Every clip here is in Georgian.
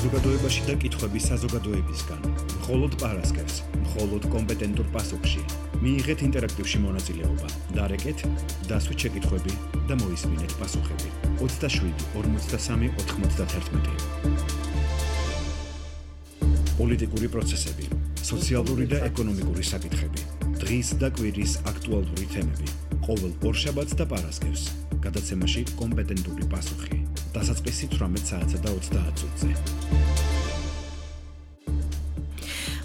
საზოგადოებაში და კითხვების საზოგადოებისგან, მხოლოდ პარასკევს, მხოლოდ კომპეტენტურ პასუხში. მიიღეთ ინტერაქტივში მონაწილეობა, დარეკეთ, დასვით შეკითხვები და მოისმინეთ პასუხები. 27 43 91. პოლიტიკური პროცესები, სოციალური და ეკონომიკური საკითხები, დღის და კვირის აქტუალური თემები, ყოველ ორშაბათს და პარასკევს, გადაცემაში კომპეტენტური პასუხი. დასაწყისი 18 საათსა და 30 წუთზე.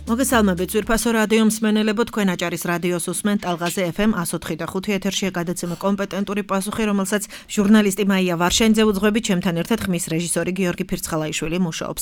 მოგესალმებით ძვირფასო რადიო მსმენელებო, თქვენ აჭარის რადიოს უსმენთ ტალღაზე FM 104.5 ეთერშია გადაცემა კომპეტენტური პასუხი, რომელსაც ჟურნალისტი მაია ვარშენიძე უძღვებით, ჩემთან ერთად ხმის რეჟისორი გიორგი ფირცხალაიშვილი მუშაობს.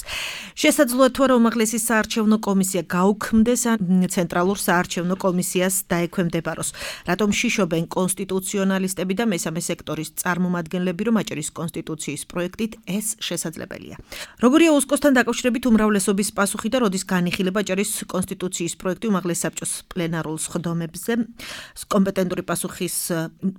შესაძლოა თუ არა უმაღლესი საარჩევნო კომისია გაუქმდეს ან ცენტრალურ საარჩევნო კომისიას დაექვემდებაროს. რატომ შიშობენ კონსტიტუციონალისტები და მესამე სექტორის წარმომადგენლები, რომ აჭარის კონსტიტუციის პროექტით ეს შესაძლებელია. როგორია უსკოსთან დაკავშირებით უმრავლესობის პასუხი და როდის განიხილება აჭარის კონსტიტუციის პროექტი უმაღლეს საბჭოს პლენარულ სხდომებზე. კომპეტენტური პასუხის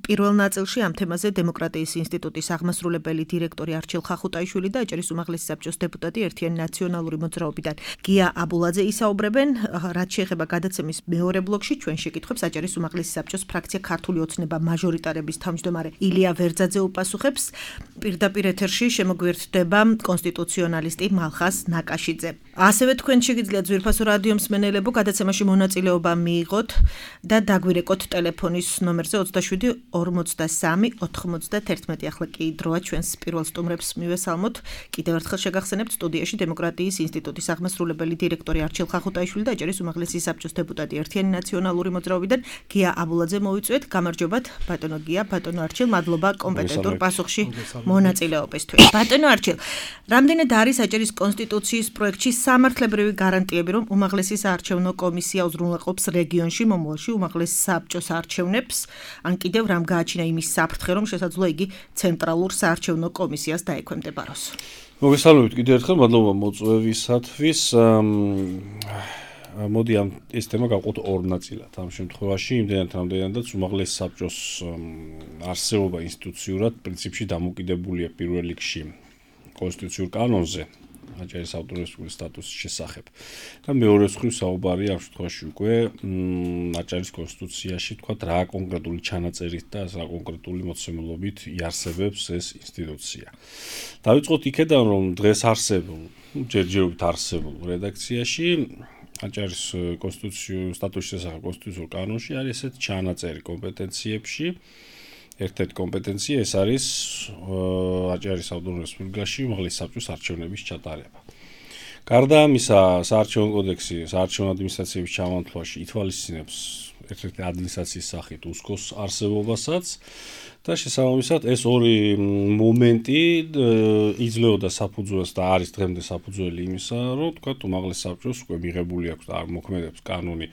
პირველ ნაწილში ამ თემაზე დემოკრატიის ინსტიტუტის აღმასრულებელი დირექტორი არჩილ ხახუტაიშვილი და აჭარის უმაღლესი საბჭოს დეპუტატი ერთიანი ნაციონალური მოძრაობიდან გია აბულაძე ისაუბრებენ. რაც შეეხება გადაცემის მეორე ბლოკში ჩვენ შეკითხვებს აჭარის უმაღლესი საბჭოს ფრაქცია ქართული ოცნება მაჟორიტარების თავმჯდომარე ილია ვერძაძე უპასუხებს. პირდაპირ ეთერში შემოგვიერთდება კონსტიტუციონალისტი მალხას ნაკაშიძე. ასევე თქვენ შეგიძლიათ ძვირფასო რადიო მსმენელებო გადაცემაში მონაწილეობა მიიღოთ და დაგვირეკოთ ტელეფონის ნომერზე 27 43 91. ახლა კი დროა ჩვენს პირველ სტუმრებს მივესალმოთ. კიდევ ერთხელ შეგახსენებთ სტუდიაში დემოკრატიის ინსტიტუტის აღმასრულებელი დირექტორი არჩილ ხახუტაიშვილი და აჭარის უმაღლესი საბჭოს დეპუტატი ერთიანი ნაციონალური მოძრაობიდან გია აბულაძე მოვიწვიეთ. გამარჯობათ ბატონო გია, ბატონო არჩილ, მადლობა კომპეტენტურ პასუხში მონაწილეობისთვის. ბატონო არჩილ, რამდენად არის აჭარის კონსტიტუციის პროექტში სამართლებრივი გარანტიები, რომ უმაღლესი საარჩევნო კომისია უზრუნველყოფს რეგიონში მომავალში უმაღლეს საბჭოს არჩევნებს, ან კიდევ რამ გააჩინა იმის საფრთხე, რომ შესაძლოა იგი ცენტრალურ საარჩევნო კომისიას დაექვემდებაროს. მოგესალმებით კიდევ ერთხელ, მადლობა მოწვევისათვის. მოდი ეს თემა გავყოთ ორ ნაწილად. ამ შემთხვევაში იმდენად უმაღლეს საბჭოს არსებობა ინსტიტუციურად პრინციპში დამოკიდებულია პირველ რიგში კონსტიტუციურ კანონზე, აჭარის ავტონომიური სტატუსის შესახებ. და მეორე მხრივ საუბარია ამ შემთხვევაში უკვე აჭარის კონსტიტუციაში თქვათ რა კონკრეტული ჩანაწერით და რა კონკრეტული მოცემულობით იარსებებს ეს ინსტიტუცია. დავიწყოთ იქედან, რომ დღეს არსებულ, ჯერჯერობით არსებულ რედაქციაში აჭარის კონსტიტუციური სტატუსის შესახებ კონსტიტუციურ კანონში არის ესეთი ჩანაწერი კომპეტენციებში. ერთ-ერთი კომპეტენცია ეს არის აჭარის ავტონომიურ რესპუბლიკაში უმაღლესი საბჭოს არჩევნების ჩატარება. გარდა ამისა, საარჩევნო კოდექსი საარჩევნო ადმინისტრაციების ჩამონთვლაში ითვალისწინებს ერთ-ერთი ადმინისტრაციის სახით უსკოს არსებობასაც და შესაბამისად ეს ორი მომენტი იძლეოდა საფუძველს და არის დღემდე საფუძველი იმისა, რომ თქვათ უმაღლეს საბჭოს უკვე მიღებული აქვს და მოქმედებს კანონი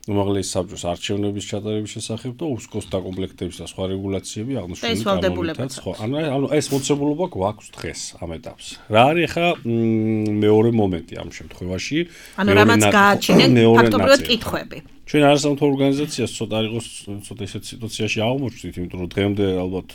უმაღლესი საბჭოს არჩევნების ჩატარების შესახებ და უსკოს დაკომპლექტების და სხვა რეგულაციები აღნიშნული კანონითაც. ანუ ეს მოცემულობა გვაქვს დღეს ამ ეტაპზე. რა არის ახლა მეორე მომენტი ამ შემთხვევაში? ანუ რამაც გააჩინენ ფაქტობრივად კითხვები. ჩვენ არასამთავრობო ორგანიზაციას ცოტა იყოს ცოტა ისეთ სიტუაციაში აღმოჩნდით, იმიტომ რომ დღემდე ალბათ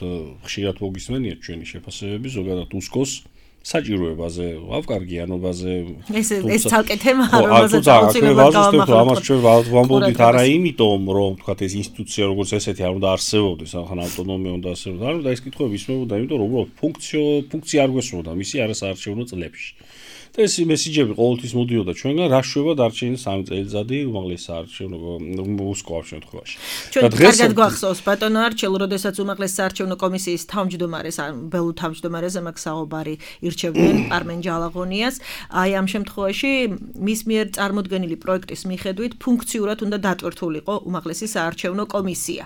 ხშირად მოგისმენიათ ჩვენი შეფასებები ზოგადად უსკოს საჭიროებაზე, ავკარგიანობაზე. ეს ცალკე თემაა, რომელზეც აუცილებლად გავამახვილებთ. ამას ჩვენ ვამბობთ არა იმიტომ, რომ თქვათ ეს ინსტიტუცია როგორც ესეთი არ უნდა არსებობდეს, ახლა ავტონომია უნდა არსებობდეს, არ უნდა ეს კითხვები ისმებოდა, იმიტომ რომ უბრალოდ ფუნქცია არ გვესმოდა მისი არასაარჩევნო წლებში. და ეს მესიჯები ყოველთვის მოდიოდა ჩვენგან, რა შვება დარჩენილი 3 წელიწადი უმაღლეს საარჩევნო უსკო ამ შემთხვევაში. ჩვენ კარგად გვახსოვს ბატონო არჩილ, როდესაც უმაღლეს საარჩევნო კომისიის თავმჯდომარეს, ან ბელუ თავმჯდომარეზე მაგ საუბარი ირჩევდნენ პარმენ ჯალაღონიას. აი ამ შემთხვევაში მის მიერ წარმოდგენილი პროექტის მიხედვით ფუნქციურად უნდა დატვირთულიყო უმაღლესი საარჩევნო კომისია.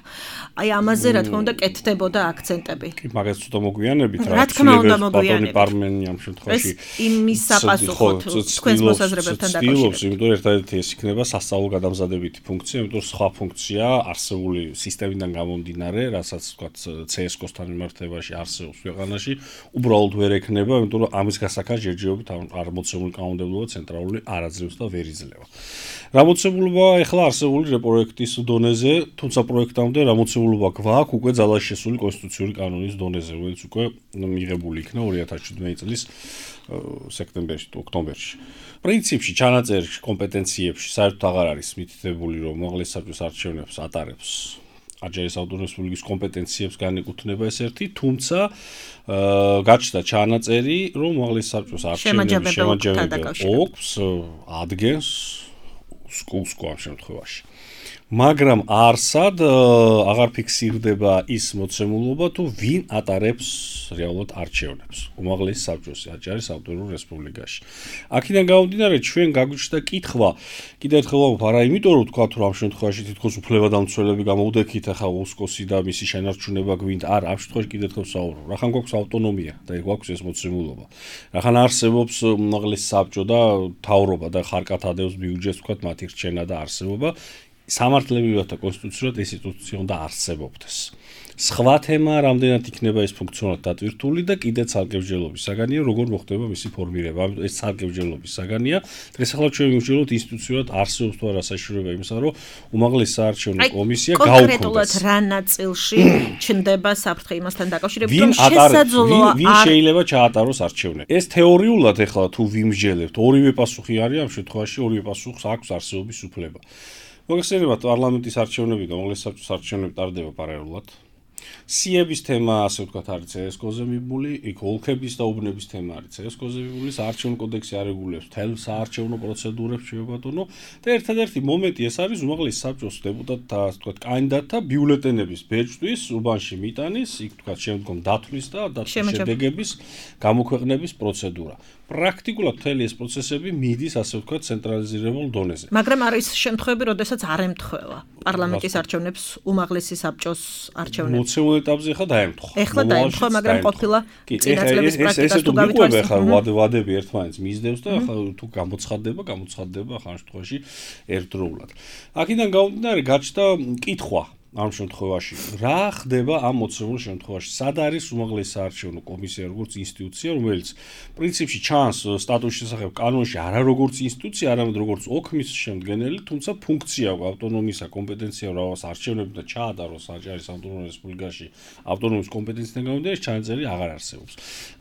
აი ამაზე რა თქმა უნდა კეთდებოდა აქცენტები. კი, მაგას ცოტა მოგვიანებით რა თქმა უნდა მოგვიანებით. პარმენი ამ შემთხვევაში იმის საპასუხოდ თქვენს მოსაზრებებთან დაკავშირებით. იმიტომ ერთადერთი ეს იქნება სასწავლო გადამზადებითი ფუნქცია, იმიტომ რომ სხვა ფუნქცია არსებული სისტემიდან გამომდინარე, რასაც ვთქვათ CSKOS-თან მიმართებაში არსებობს ქვეყანაში, უბრალოდ ვერ ექნება, იმიტომ იმიტომ რომ ამის გასახად ჯერჯერობით არ მოცემული კანონმდებლობა ცენტრალური არ აძლევს და ვერ იძლევა. რა მოცემულობა ეხლა არსებული რეპროექტის დონეზე, თუმცა პროექტამდე რა მოცემულობა გვაქვს უკვე ძალაში შესული კონსტიტუციური კანონის დონეზე, რომელიც უკვე მიღებული იქნა 2017 წლის სექტემბერში თუ ოქტომბერში. პრინციპში ჩანაწერში კომპეტენციებში საერთოდ აღარ არის მითითებული, რომ უმაღლეს საბჭოს არჩევნებს ატარებს აჯარის ავტონომიური რესპუბლიკის კომპეტენციებს განეკუთვნება ეს ერთი, თუმცა გაჩნდა ჩანაწერი, რომ უმაღლეს საბჭოს არჩევნების შემაჯამებელი ოქს ადგენს სკუსკო ამ შემთხვევაში. მაგრამ არსად აღარ ფიქსირდება ის მოცემულობა, თუ ვინ ატარებს რეალურად არჩევნებს უმაღლეს საბჭოს აჯარის ავტონომურ რესპუბლიკაში. აქედან გამომდინარე, ჩვენ გაგვიჩნდა კითხვა, კიდევ ერთხელ ვამბობ, არა იმიტომ რომ თქვა, რომ ამ შემთხვევაში თითქოს უფლებადამცველები გამოუდექით, ახლა უსკოსი და მისი შენარჩუნება გვინდა, არა, ამ შემთხვევაში კიდევ ერთხელ ვსაუბრობ. რახან გვაქვს ავტონომია და გვაქვს ეს მოცემულობა. რახან არსებობს უმაღლეს საბჭო და მთავრობა და ხარკად ადევს ბიუჯეტს, თქვა, მათი რჩენა და არსებობა. სამართლებრივად და კონსტიტუციურად ეს ინსტიტუცია უნდა არსებობდეს. სხვა თემა რამდენად იქნება ეს ფუნქციონალურად დატვირთული და კიდე ცალკევჯერობის საგანია, როგორ მოხდება მისი ფორმირება. ამიტომ ეს ცალკევჯერობის საგანია. დღეს ახლა ჩვენ მივჭიროთ ინსტიტუციურად არსებობს თუ არა საშუალება იმისა, რომ უმაღლეს საარჩევნო კომისია გაუქმდეს. კონკრეტულად რა ნაწილში ჩნდება საფრთხე იმასთან დაკავშირებით, რომ შესაძლოა ვინ შეიძლება ჩაატაროს არჩევნები. ეს თეორიულად ახლა თუ ვიმსჯელებთ, ორივე პასუხი არის ამ შემთხვევაში, ორივე პასუხს აქვს არსებობის უფლება. მოგეხსენებათ პარლამენტის არჩევნები და უმაღლეს საბჭოს არჩევნები ტარდება პარალელურად. სიების თემა, ასე ვთქვათ, არის CSKO-ზე მიბმული, იქ ოლქების და უბნების თემა არის CSKO-ზე მიბმული, საარჩევნო კოდექსი არეგულირებს მთელ საარჩევნო პროცედურებს, შეებატონო და ერთადერთი მომენტი ეს არის უმაღლეს საბჭოს დეპუტატთა, ასე ვთქვათ, კანდიდატთა ბიულეტენების ბეჭდვის, უბანში მიტანის, იქ ვთქვათ, შემდგომ დათვლის და დათვლის შედეგების გამოქვეყნების პროცედურა. პრაქტიკულად მთელი ეს პროცესები მიდის, ასე ვთქვათ, ცენტრალიზირებულ დონეზე. მაგრამ არის შემთხვევები, როდესაც არ ემთხვევა პარლამენტის არჩევნებს უმაღლესი საბჭოს არჩევნებს. მოცემულ ეტაპზე ხა დაემთხვა. ეხლა დაემთხვა, მაგრამ ყოფილა წინა წლების პრაქტიკას თუ გავითვალისწინებთ, ხა ვადები ერთმანეთს მისდევს და ხა თუ გამოცხადდება ხა ამ შემთხვევაში ერთდროულად. აქედან გამომდინარე, გაჩნდა კითხვა ამ შემთხვევაში, რა ხდება ამ მოცემულ შემთხვევაში? სად არის უმაღლესი საარჩევნო კომისია როგორც ინსტიტუცია, რომელიც პრინციპში ჩანს სტატუსის შესახებ კანონში არა როგორც ინსტიტუცია, არამედ როგორც ოქმის შემდგენელი, თუმცა ფუნქცია აქვს ავტონომიისა, კომპეტენცია რაღაც არჩევნები და ჩაატაროს აჯარის ავტონომურ რესპუბლიკაში ავტონომიის კომპეტენციიდან გამომდინარე, ჩანაწერი აღარ არსებობს.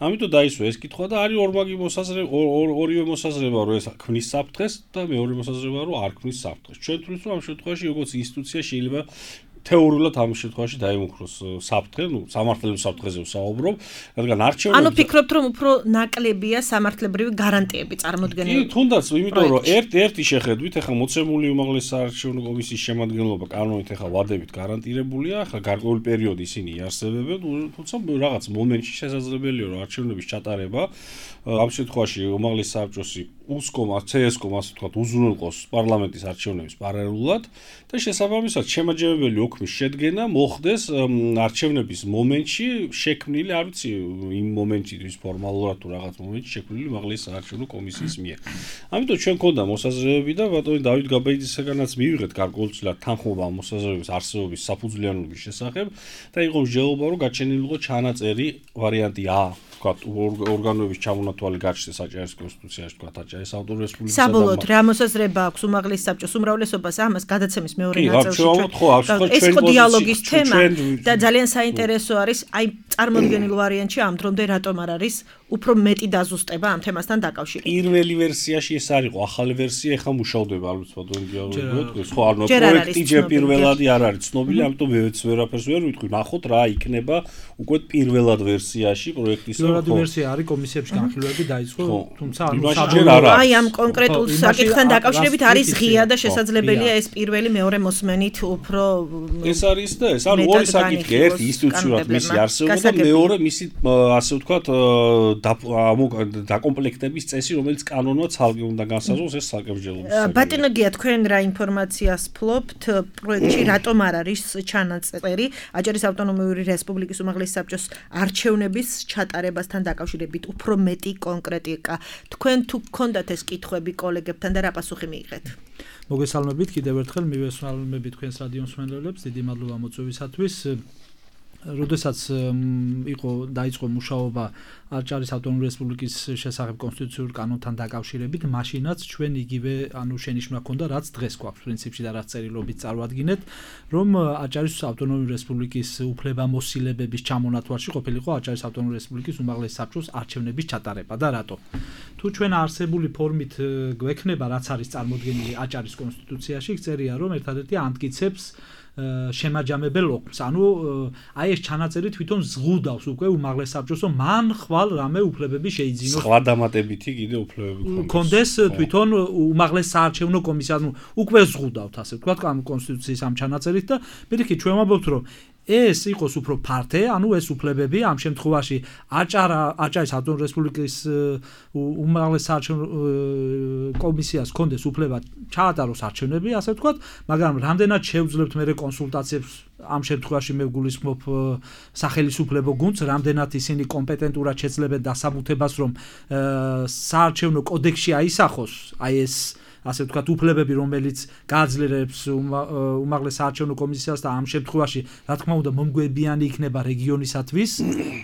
ამიტომ დაისვა ეს კითხვა და არის ორივე მოსაზრება, რომ ეს ქმნის საფრთხეს და მეორე მოსაზრება, რომ არ ქმნის საფრთხეს. ჩვენ თვლით, რომ ამ შემთხვევაში როგორც ინსტიტუცია შეიძლება თეორიულად ამ შემთხვევაში დაიმუქროს საფრთხე, სამართლებრივ საფრთხეზე ვსაუბრობ, რადგან არჩევნები ანუ ფიქრობთ, რომ უფრო ნაკლებია სამართლებრივი გარანტიები წარმოდგენილი? კი, თუნდაც, იმიტომ რომ ერთ-ერთი შეხედვით, ახლა მოცემული უმაღლეს საარჩევნო კომისიის შემადგენლობა კანონით ახლა ვადებით გარანტირებულია, ახლა გარკვეული პერიოდი ისინი იარსებებენ, თუმცა რაღაც მომენტში შესაძლებელია, რომ არჩევნების ჩატარება ამ შემთხვევაში უმაღლეს საბჭოსი უსკომა, CSKO-მა, ასე ვთქვათ, უზრუნველყოს პარლამენტის არჩევნების პარალელურად და შესაბამისად შემაჯამებელი ოქმის შედგენა მოხდეს არჩევნების მომენტში შექმნილი, არ ვიცი, იმ მომენტში ის ფორმალურად თუ რაღაც მომენტში შექმნილი უმაღლეს საარჩევნო კომისიის მიერ. ამიტომ ჩვენ გვქონდა მოსაზრებები და ბატონი დავით გაბაიძისაგანაც მივიღეთ გარკვეულწილად თანხმობა ამ მოსაზრებების არსებობის საფუძვლიანობის შესახებ და იყო მსჯელობა, რომ გაჩენილიყო ჩანაწერი ვარიანტი A, ვთქვათ, ორგანოების ჩამონათვალი გაჩნდეს აჭარის კონსტიტუციაში, ვთქვათ, აჭარის ავტონომიური რესპუბლიკის საბოლოოდ რა მოსაზრება აქვს უმაღლეს საბჭოს უმრავლესობას ამას გადაცემის მეორე ნაწილში? ეს ხო დიალოგის თემა და ძალიან საინტერესო არის, აი წარმოდგენილ ვარიანტში ამ დრომდე რატომ არ არის უფრო მეტი დაზუსტება ამ თემასთან დაკავშირებით. პირველი ვერსიაში ეს არისო, ახალი ვერსია ეხლა მუშავდება, ალბათ ბატონი დიალოგი. ხო, ანუ პროექტი ჯერ პირველადი არ არის ცნობილი, ამიტომ მეც ვერაფერს ვერ ვიტყვი. ნახოთ რა იქნება უკვე პირველად ვერსიაში პროექტის. პირველადი ვერსია არის კომისიებში განხილვები დაიწყო, თუმცა აი ამ კონკრეტულ საკითხთან დაკავშირებით არის ღია და შესაძლებელია ეს პირველი მეორე მოსმენით უფრო ეს არის და ეს არის ორი საკითხი, ერთი ინსტიტუციურად მისი არსებობა და მეორე მისი ასე ვთქვათ დაკომპლექტების წესი, რომელიც კანონმა ცალკე უნდა განსაზღვროს ეს საკებჯელობის. ბატონო გია, თქვენ რა ინფორმაციას ფლობთ პროექტში, რატომ არ არის ჩანაწერი აჭარის ავტონომიური რესპუბლიკის უმაღლეს საბჭოს არჩევნების ჩატარებასთან დაკავშირებით უფრო მეტი კონკრეტიკა? თქვენ თუ გქონდათ ეს კითხვები კოლეგებთან და რა პასუხი მიიღეთ? მოგესალმებით კიდევ ერთხელ, მივესალმებით თქვენს რადიო მსმენელებს, დიდი მადლობა მოწვევისათვის. როდესაც დაიწყო მუშაობა აჭარის ავტონომიური რესპუბლიკის შესახებ კონსტიტუციურ კანონთან დაკავშირებით, მაშინაც ჩვენ იგივე შენიშვნა ჰქონდა, რაც დღეს გვაქვს პრინციპში და რაც წერილობით წარვადგინეთ, რომ აჭარის ავტონომიური რესპუბლიკის უფლებამოსილებების ჩამონათვალში ყოფილიყო აჭარის ავტონომიური რესპუბლიკის უმაღლესი საბჭოს არჩევნების ჩატარება და რატო? თუ ჩვენ არსებული ფორმით გვექნება, რაც არის წარმოდგენილი აჭარის კონსტიტუციაში, წერია, რომ ერთადერთი ამტკიცებს შემაჯამებელ ოქმს. ანუ აი ეს ჩანაწერი თვითონ ზღუდავს უკვე უმაღლეს საბჭოს, რომ მან ხვალ რამე უფლებები შეიძინოს. სხვა დამატებითი კიდე უფლებები კონდეს თვითონ უმაღლეს საარჩევნო კომისია, ანუ უკვე ზღუდავთ, ასე ვთქვათ, კონსტიტუციის ამ ჩანაწერით და პირიქით ჩვენ ვამბობთ, რომ ეს იყოს უფრო ფართე, ანუ ეს უფლებები ამ შემთხვევაში აჭარის ავტონომიური რესპუბლიკის უმაღლეს საარჩევნო კომისიას ჰქონდეს უფლება ჩაატაროს არჩევნები, ასე ვთქვათ, მაგრამ რამდენად შევძლებთ მე კონსულტაციებს ამ შემთხვევაში მე ვგულისხმობ სახელმწიფო გუნდს, რამდენად ისინი კომპეტენტურად შეძლებენ დასაბუთებას, რომ საარჩევნო კოდექსში აისახოს აი ეს ასე ვთქვათ უფლებები, რომელიც გააძლიერებს უმაღლეს საარჩევნო კომისიას და ამ შემთხვევაში, რა თქმა უნდა, მომგვებიანი იქნება რეგიონისათვის,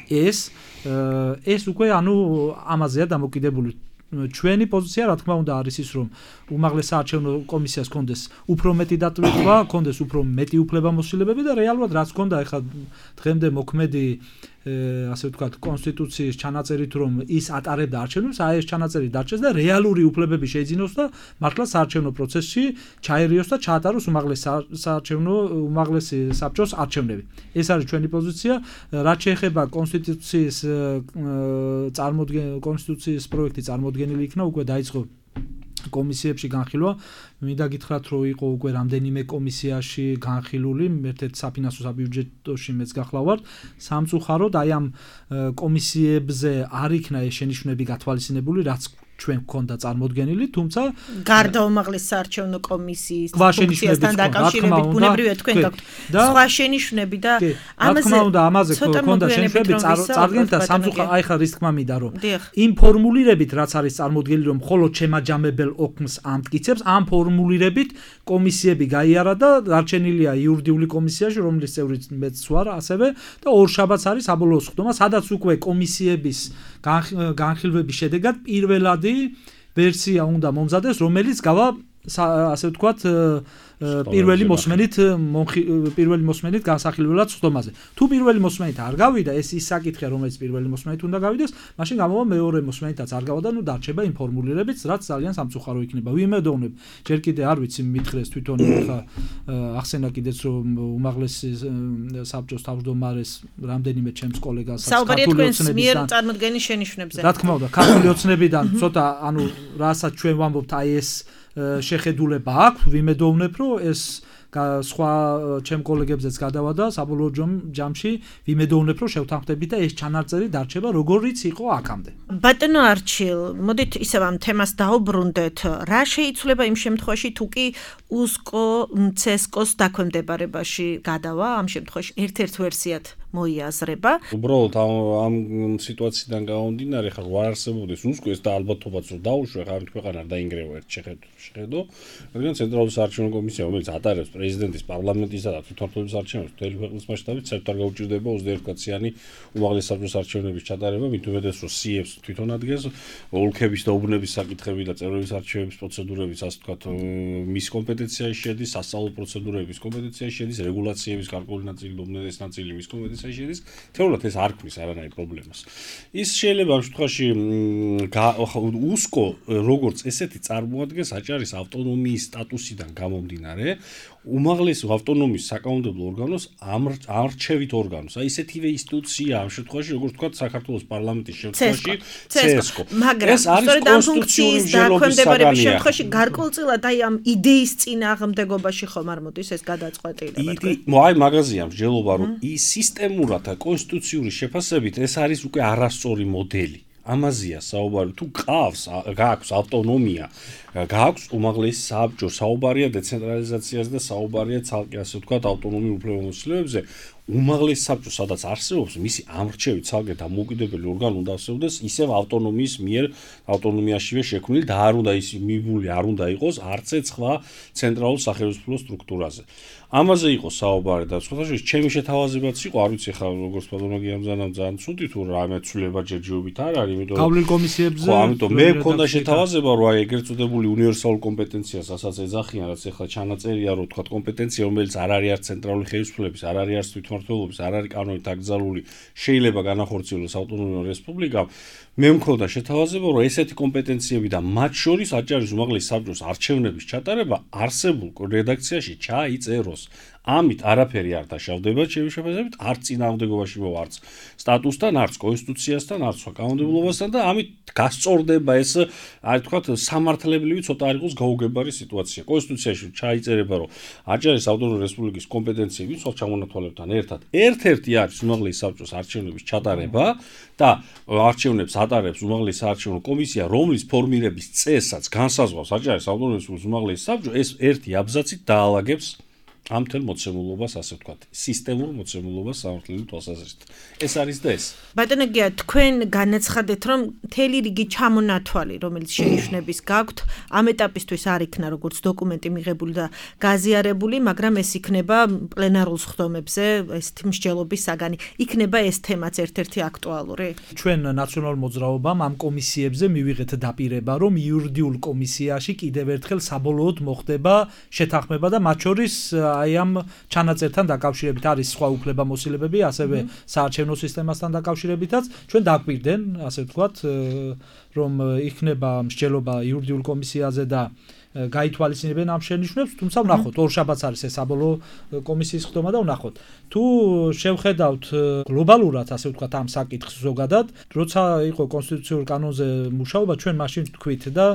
ეს უკვე ამაზეა დამოკიდებული. ჩვენი პოზიცია, რა თქმა უნდა, არის ის, რომ უმაღლეს საარჩევნო კომისიას ჰქონდეს უფრო მეტი დატვირთვა, ჰქონდეს უფრო მეტი უფლებამოსილებები და რეალურად რაც ჰქონდა ახლა დღემდე მოქმედი ასე ვთქვათ, კონსტიტუციის ჩანაწერით, რომ ის ატარებდა არჩევნებს, აი ეს ჩანაწერი დარჩეს და რეალური უფლებები შეიძინოს და მართლა საარჩევნო პროცესში ჩაერიოს და ჩაატაროს უმაღლესი საბჭოს არჩევნები. ეს არის ჩვენი პოზიცია, რაც შეეხება კონსტიტუციის პროექტი წარმოდგენილი იქნა, უკვე დაიწყო კომისიებში განხილვა. მინდა გითხრათ, რომ იყო უკვე რამდენიმე კომისიაში განხილული, ერთ-ერთ საფინანსო საბიუჯეტოში მეც გახლავართ. სამწუხაროდ აი ამ კომისიებზე არ იქნა ეს შენიშვნები გათვალისწინებული, რაც ჩვენ გქონდა წარმოდგენილი, თუმცა გარდა უმაღლეს საარჩევნო კომისიის ფუნქციასთან დაკავშირებით ბუნებრივია თქვენ გაქვთ სხვა შენიშვნები და ამაზე გქონდა შენიშვნები წარდგენით და სამწუხაროდ აი ხა რის თქმა მინდა რომ იმ ფორმულირებით რაც არის წარმოდგენილი რომ მხოლოდ შემაჯამებელ ოქმს ამტკიცებს, ამ ფორმულირებით კომისიები გაიარა და დარჩენილია იურიდიული კომისიაში, რომლის წევრიც მეც ვარ ასევე და ორშაბათს არის საბოლოო სხდომა, სადაც უკვე კომისიების განხილვების შედეგად პირველადი ვერსია უნდა მომზადეს, რომელიც გავა ასე ვთქვათ პირველი მოსმენით განსახილველად სხდომაზე. თუ პირველი მოსმენით არ გავიდა, ეს ის საკითხია, რომელიც პირველი მოსმენით უნდა გავიდეს, მაშინ გამოვა მეორე მოსმენითაც არ გავა და დარჩება იმ ფორმულირებით, რაც ძალიან სამწუხარო იქნება. ვიმედოვნებ, ჯერ კიდე არ ვიცი მითხრეს თვითონ ხა ახსენა კიდეც რომ უმაღლესი საბჭოს თავმჯდომარეს რამდენიმე ჩემს კოლეგას ქართული ოცნებიდან წარმოდგენის შენიშვნებზე. რა თქმა უნდა, ქართული ოცნებიდან ცოტა რასაც ჩვენ ვამბობთ, აი ეს შეხედულება აქვს, ვიმედოვნებ, რომ ეს სხვა ჩემ კოლეგებზეც გადავა და საბოლოო ჯამში ვიმედოვნებ, რომ შევთანხმდებით და ეს ჩანაწერი დარჩება როგორიც იყო აქამდე. ბატონო არჩილ, მოდით ისევ ამ თემას დაუბრუნდეთ. რა შეიცვლება იმ შემთხვევაში, თუ კი უსკო ცესკოს დაქვემდებარებაში გადავა, ამ შემთხვევაში ერთ-ერთ ვერსიად მოიაზრება. უბრალოდ ამ სიტუაციიდან გამომდინარე, ხარ არ არსებობდეს უსკო ეს და ალბათობაც რომ დაუშვე, ხარ ქვეყანა არ დაინგრევა ერთ შეხედო, რადგან ცენტრალური საარჩევნო კომისია, რომელიც ატარებს პრეზიდენტის, პარლამენტისა და თვითმმართველობის არჩევნებს მთელი ქვეყნის მასშტაბით, საერთოდ არ გაუჭირდება 21 კაციანი უმაღლეს საბჭოს არჩევნების ჩატარება, მით უმეტეს რომ სიებს თვითონ ადგენს, ოლქების და უბნების საკითხები და წევრების არჩევნების პროცედურებიც, ასე ვთქვათ, მის კომპეტენციაში შედის, სასწავლო პროცედურების კომპეტენციაში შედის, რეგულაციების გარკვეული ნაწილი და უმეტეს ნაწილი მის კომპეტენციაში შედის. თეორიულად ეს არ ქმნის არანაირ პრობლემას. ის შეიძლება ამ შემთხვევაში უსკო როგორც ესეთი წარმოადგენს აჭარის ავტონომიის სტატუსიდან გამომდინარე, უმაღლეს ავტონომიის საკანონმდებლო ორგანოს არჩევით ორგანოს. აი ესეთივე ინსტიტუცია ამ შემთხვევაში, როგორც ვთქვათ, საქართველოს პარლამენტის შემთხვევაში CSCO. მაგრამ სწორედ ამ ფუნქციის დაქვემდებარების შემთხვევაში გარკვეულწილად აი ამ იდეის წინააღმდეგობაში ხომ არ მოდის ეს გადაწყვეტილება. აი მაგაზია მსჯელობა, რომ ის სისტემურად და კონსტიტუციური შეფასებით ეს არის უკვე არასწორი მოდელი. ამაზია საუბარი, თუ გააქვს ავტონომია, გააქვს უმაღლესი საბჭო, საუბარია დეცენტრალიზაციაზე და საუბარია ცალკე ასე ვთქვათ ავტონომიურ უფლებამოსილებებზე, უმაღლესი საბჭო სადაც არსებობს, მისი ამრჩევი ცალკე დამოუკიდებელი ორგანო უნდა არსებობდეს ისევ ავტონომიის მიერ ავტონომიაშივე შექმნილი და არ უნდა ის მიბული არ უნდა იყოს არც სხვა ცენტრალურ სახელმწიფო სტრუქტურაზე. ამაზე იყო საუბარი და სხვათაშორის ჩემი შეთავაზებაც იყო, არ ვიცი ხა როგორც პათოლოგია ძალიან ცუდი თუ რამე ცვლილება ჯერჯერობით არ არის, იმიტომ რომ გავლილ კომისიებზე ხო, ამიტომ მე მქონდა შეთავაზება, რომ აი ეგრეთ წოდებული უნივერსალურ კომპეტენციას, რასაც ეძახიან, რაც ახლა ჩანაწერია, რომ თქვა კომპეტენცია, რომელიც არ არის არც ცენტრალური ხელისუფლების, არ არის არც თვითმმართველობის, არ არის კანონით აკრძალული, შეიძლება განახორციელოს ავტონომიურ რესპუბლიკამ. მე მქონდა შეთავაზება, რომ ესეთი კომპეტენციები და მათ შორის აჭარის უმაღლესი საბჭოს არჩევნების ჩატარება არსებულ რედაქციაში ჩაიწეროს. ამით არაფერი არ დაშავდება ჩემი შეფასებით, არც წინააღმდეგობაში არც სტატუსთან, არც კონსტიტუციასთან, არც სხვა კანონმდებლობასთან და ამით გასწორდება ეს, აი თქვათ, სამართლებრივი ცოტა არ იყოს გაუგებარი სიტუაცია. კონსტიტუციაში ჩაიწერება, რომ აჭარის ავტონომიური რესპუბლიკის კომპეტენციები სხვა ჩამონათვალებთან ერთად ერთ-ერთი არის უმაღლესი საბჭოს არჩევნების ჩატარება და არჩევნებს ატარებს უმაღლესი საარჩევნო კომისია, რომლის ფორმირების წესსაც განსაზღვრავს აჭარის ავტონომიური რესპუბლიკის უმაღლესი საბჭო, ეს ერთი აბზაცით დაალაგებს ამ თელ მოცემულობას, ასე ვთქვათ, სისტემურ მოცემულობას სამართლიანი თვალსაზრისით. ეს არის და ეს. ბატონო გია, თქვენ განაცხადეთ, რომ მთელი რიგი ჩამონათვალი, რომელიც შენიშვნების გაქვთ, ამ ეტაპისთვის არ იქნა როგორც დოკუმენტი მიღებული და გაზიარებული, მაგრამ ეს იქნება პლენარულ სხდომებზე, ესეთი მსჯელობის საგანი. იქნება ეს თემაც ერთ-ერთი აქტუალური? ჩვენ ნაციონალურ მოძრაობამ ამ კომისიებზე მივიღეთ დაპირება, რომ იურიდიულ კომისიაში კიდევ ერთხელ საბოლოოდ მოხდება შეთანხმება და მათ შორის აი ამ ჩანაწერთან დაკავშირებით არის სხვა უფლებამოსილებები, ასევე საარჩევნო სისტემასთან დაკავშირებითაც ჩვენ დაგვირდნენ, ასე ვთქვათ, რომ იქნება მსჯელობა იურიდიულ კომისიაზე და გაითვალისწინებენ ამ შენიშვნებს, თუმცა ვნახოთ, ორშაბათს არის ეს საბოლოო კომისიის ხდომა და ვნახოთ. თუ შევხედავთ გლობალურად, ასე ვთქვათ, ამ საკითხს ზოგადად, როცა იყო კონსტიტუციურ კანონზე მუშაობა, ჩვენ მაშინ ვთქვით და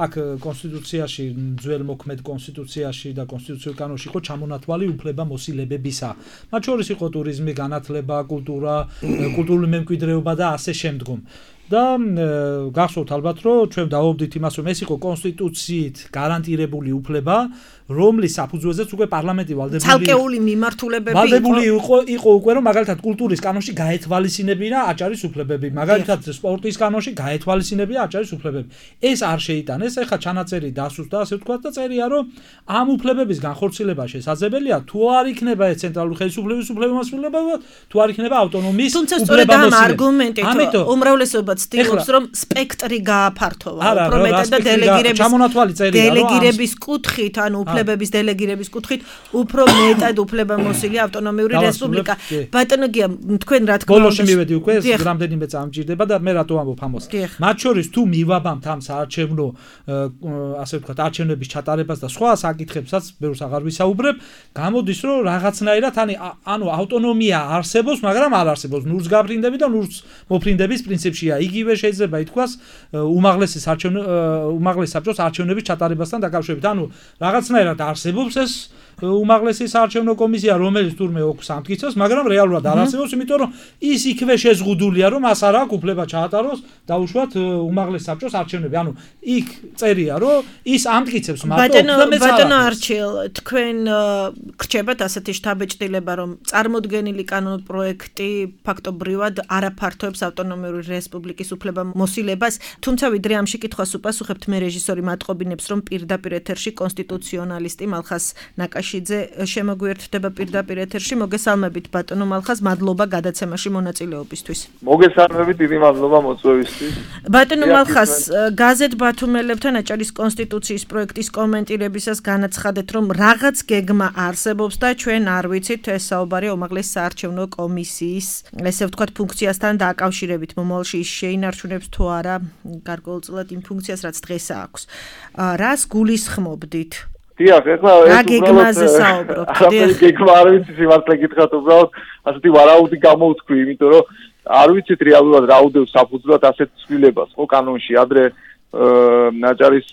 აქ კონსტიტუციაში, ძველ მოქმედ კონსტიტუციაში და კონსტიტუციურ კანონში იყო ჩამონათვალი უფლებამოსილებებისა. მათ შორის იყო ტურიზმი, განათლება, კულტურა, კულტურული მემკვიდრეობა და ასე შემდგომ. და გახსოვთ ალბათ, რომ ჩვენ დავობდით იმას, რომ ეს იყო კონსტიტუციით გარანტირებული უფლება, რომლის საფუძველზეც უკვე პარლამენტი ცალკეული მიმართულებები იყო უკვე, რომ მაგალითად კულტურის კანონში გაეთვალისწინებინა აჭარის უფლებები, მაგალითად სპორტის კანონში გაეთვალისწინებინა აჭარის უფლებები. ეს არ შეიტანეს, ეხლა ჩანაწერი დასუსტა, ასე ვთქვათ და წერია, რომ ამ უფლებების განხორციელება შესაძლებელია, თუ არ იქნება ეს ცენტრალური ხელისუფლების უფლებამოსილება, თუ არ იქნება ავტონომიის უფლებამოსილება. თუმცა სწორედ ამ არგუმენტით უმრავლესობა ცდილობს, რომ სპექტრი გააფართოვა, უფრო მეტად და დელეგირების კუთხით, ანუ უფლებების დელეგირების კუთხით უფრო მეტად უფლებამოსილი ავტონომიური რესპუბლიკა. ბატონო გია, თქვენ რა თქმა უნდა ბოლოში მივედი უკვე, რამდენიმე წამი მჭირდება და მე რატო ამბობ ამას. მათ შორის თუ მივაბამთ ამ საარჩევნო, ასე ვთქვათ, არჩევნების ჩატარებას და სხვა საკითხებსაც, ბევრს აღარ ვისაუბრებ, გამოდის, რომ რაღაცნაირად ანუ ავტონომია არსებობს, მაგრამ არ არსებობს ნურს გაფრინდები და ნურს მოფრინდების პრინციპშია. იგივე შეიძლება ითქვას უმაღლესი საბჭოს არჩევნების ჩატარებასთან დაკავშირებით. ანუ რაღაცნაირად არსებობს ეს უმაღლესი საარჩევნო კომისია, რომელიც თურმე ოქს ამტკიცებს, მაგრამ რეალურად არ არსებობს, იმიტომ რომ ის იქვე შეზღუდულია, რომ მას არ აქვს უფლება ჩაატაროს დაუშვათ უმაღლეს საბჭოს არჩევნები. ანუ იქ წერია, რომ ის ამტკიცებს მარტო ბატონო არჩილ, თქვენ გრჩებათ ასეთი შთაბეჭდილება, რომ წარმოდგენილი კანონპროექტი ფაქტობრივად არაფართოებს ავტონომიური რესპუბლიკის უფლებამოსილებას, თუმცა ვიდრე ამ შეკითხვას უპასუხებთ, მე რეჟისორი მატყობინებს, რომ პირდაპირ ეთერში კონსტიტუციონალისტი მალხას ნაკაშიძე შემოგვიერთდება პირდაპირ ეთერში. მოგესალმებით ბატონო მალხას, მადლობა გადაცემაში მონაწილეობისთვის. მოგესალმებით, დიდი მადლობა მოწვევისთვის. ბატონო მალხას, გაზეთ ბათუმელებთან აჭარის კონსტიტუციის პროექტის კომენტირებისას განაცხადეთ, რომ რაღაც გეგმა არსებობს და ჩვენ არ ვიცით, ეს საუბარია უმაღლეს საარჩევნო კომისიის, ესე ვთქვათ, ფუნქციასთან დაკავშირებით, მომავალში ის შეინარჩუნებს თუ არა გარკვეულწილად იმ ფუნქციას, რაც დღეს აქვს. რას გულისხმობდით? დიახ, ეხლა რა გეგმაზე საუბრობთ? არაფერი გეგმა არ ვიცი, სიმართლე გითხრათ, უბრალოდ ასეთი ვარაუდი გამოვთქვი, იმიტომ რომ არ ვიცით რეალურად რა უდევს საფუძვლად ასეთ ცვლილებას, ხო, კანონში ადრე აჭარის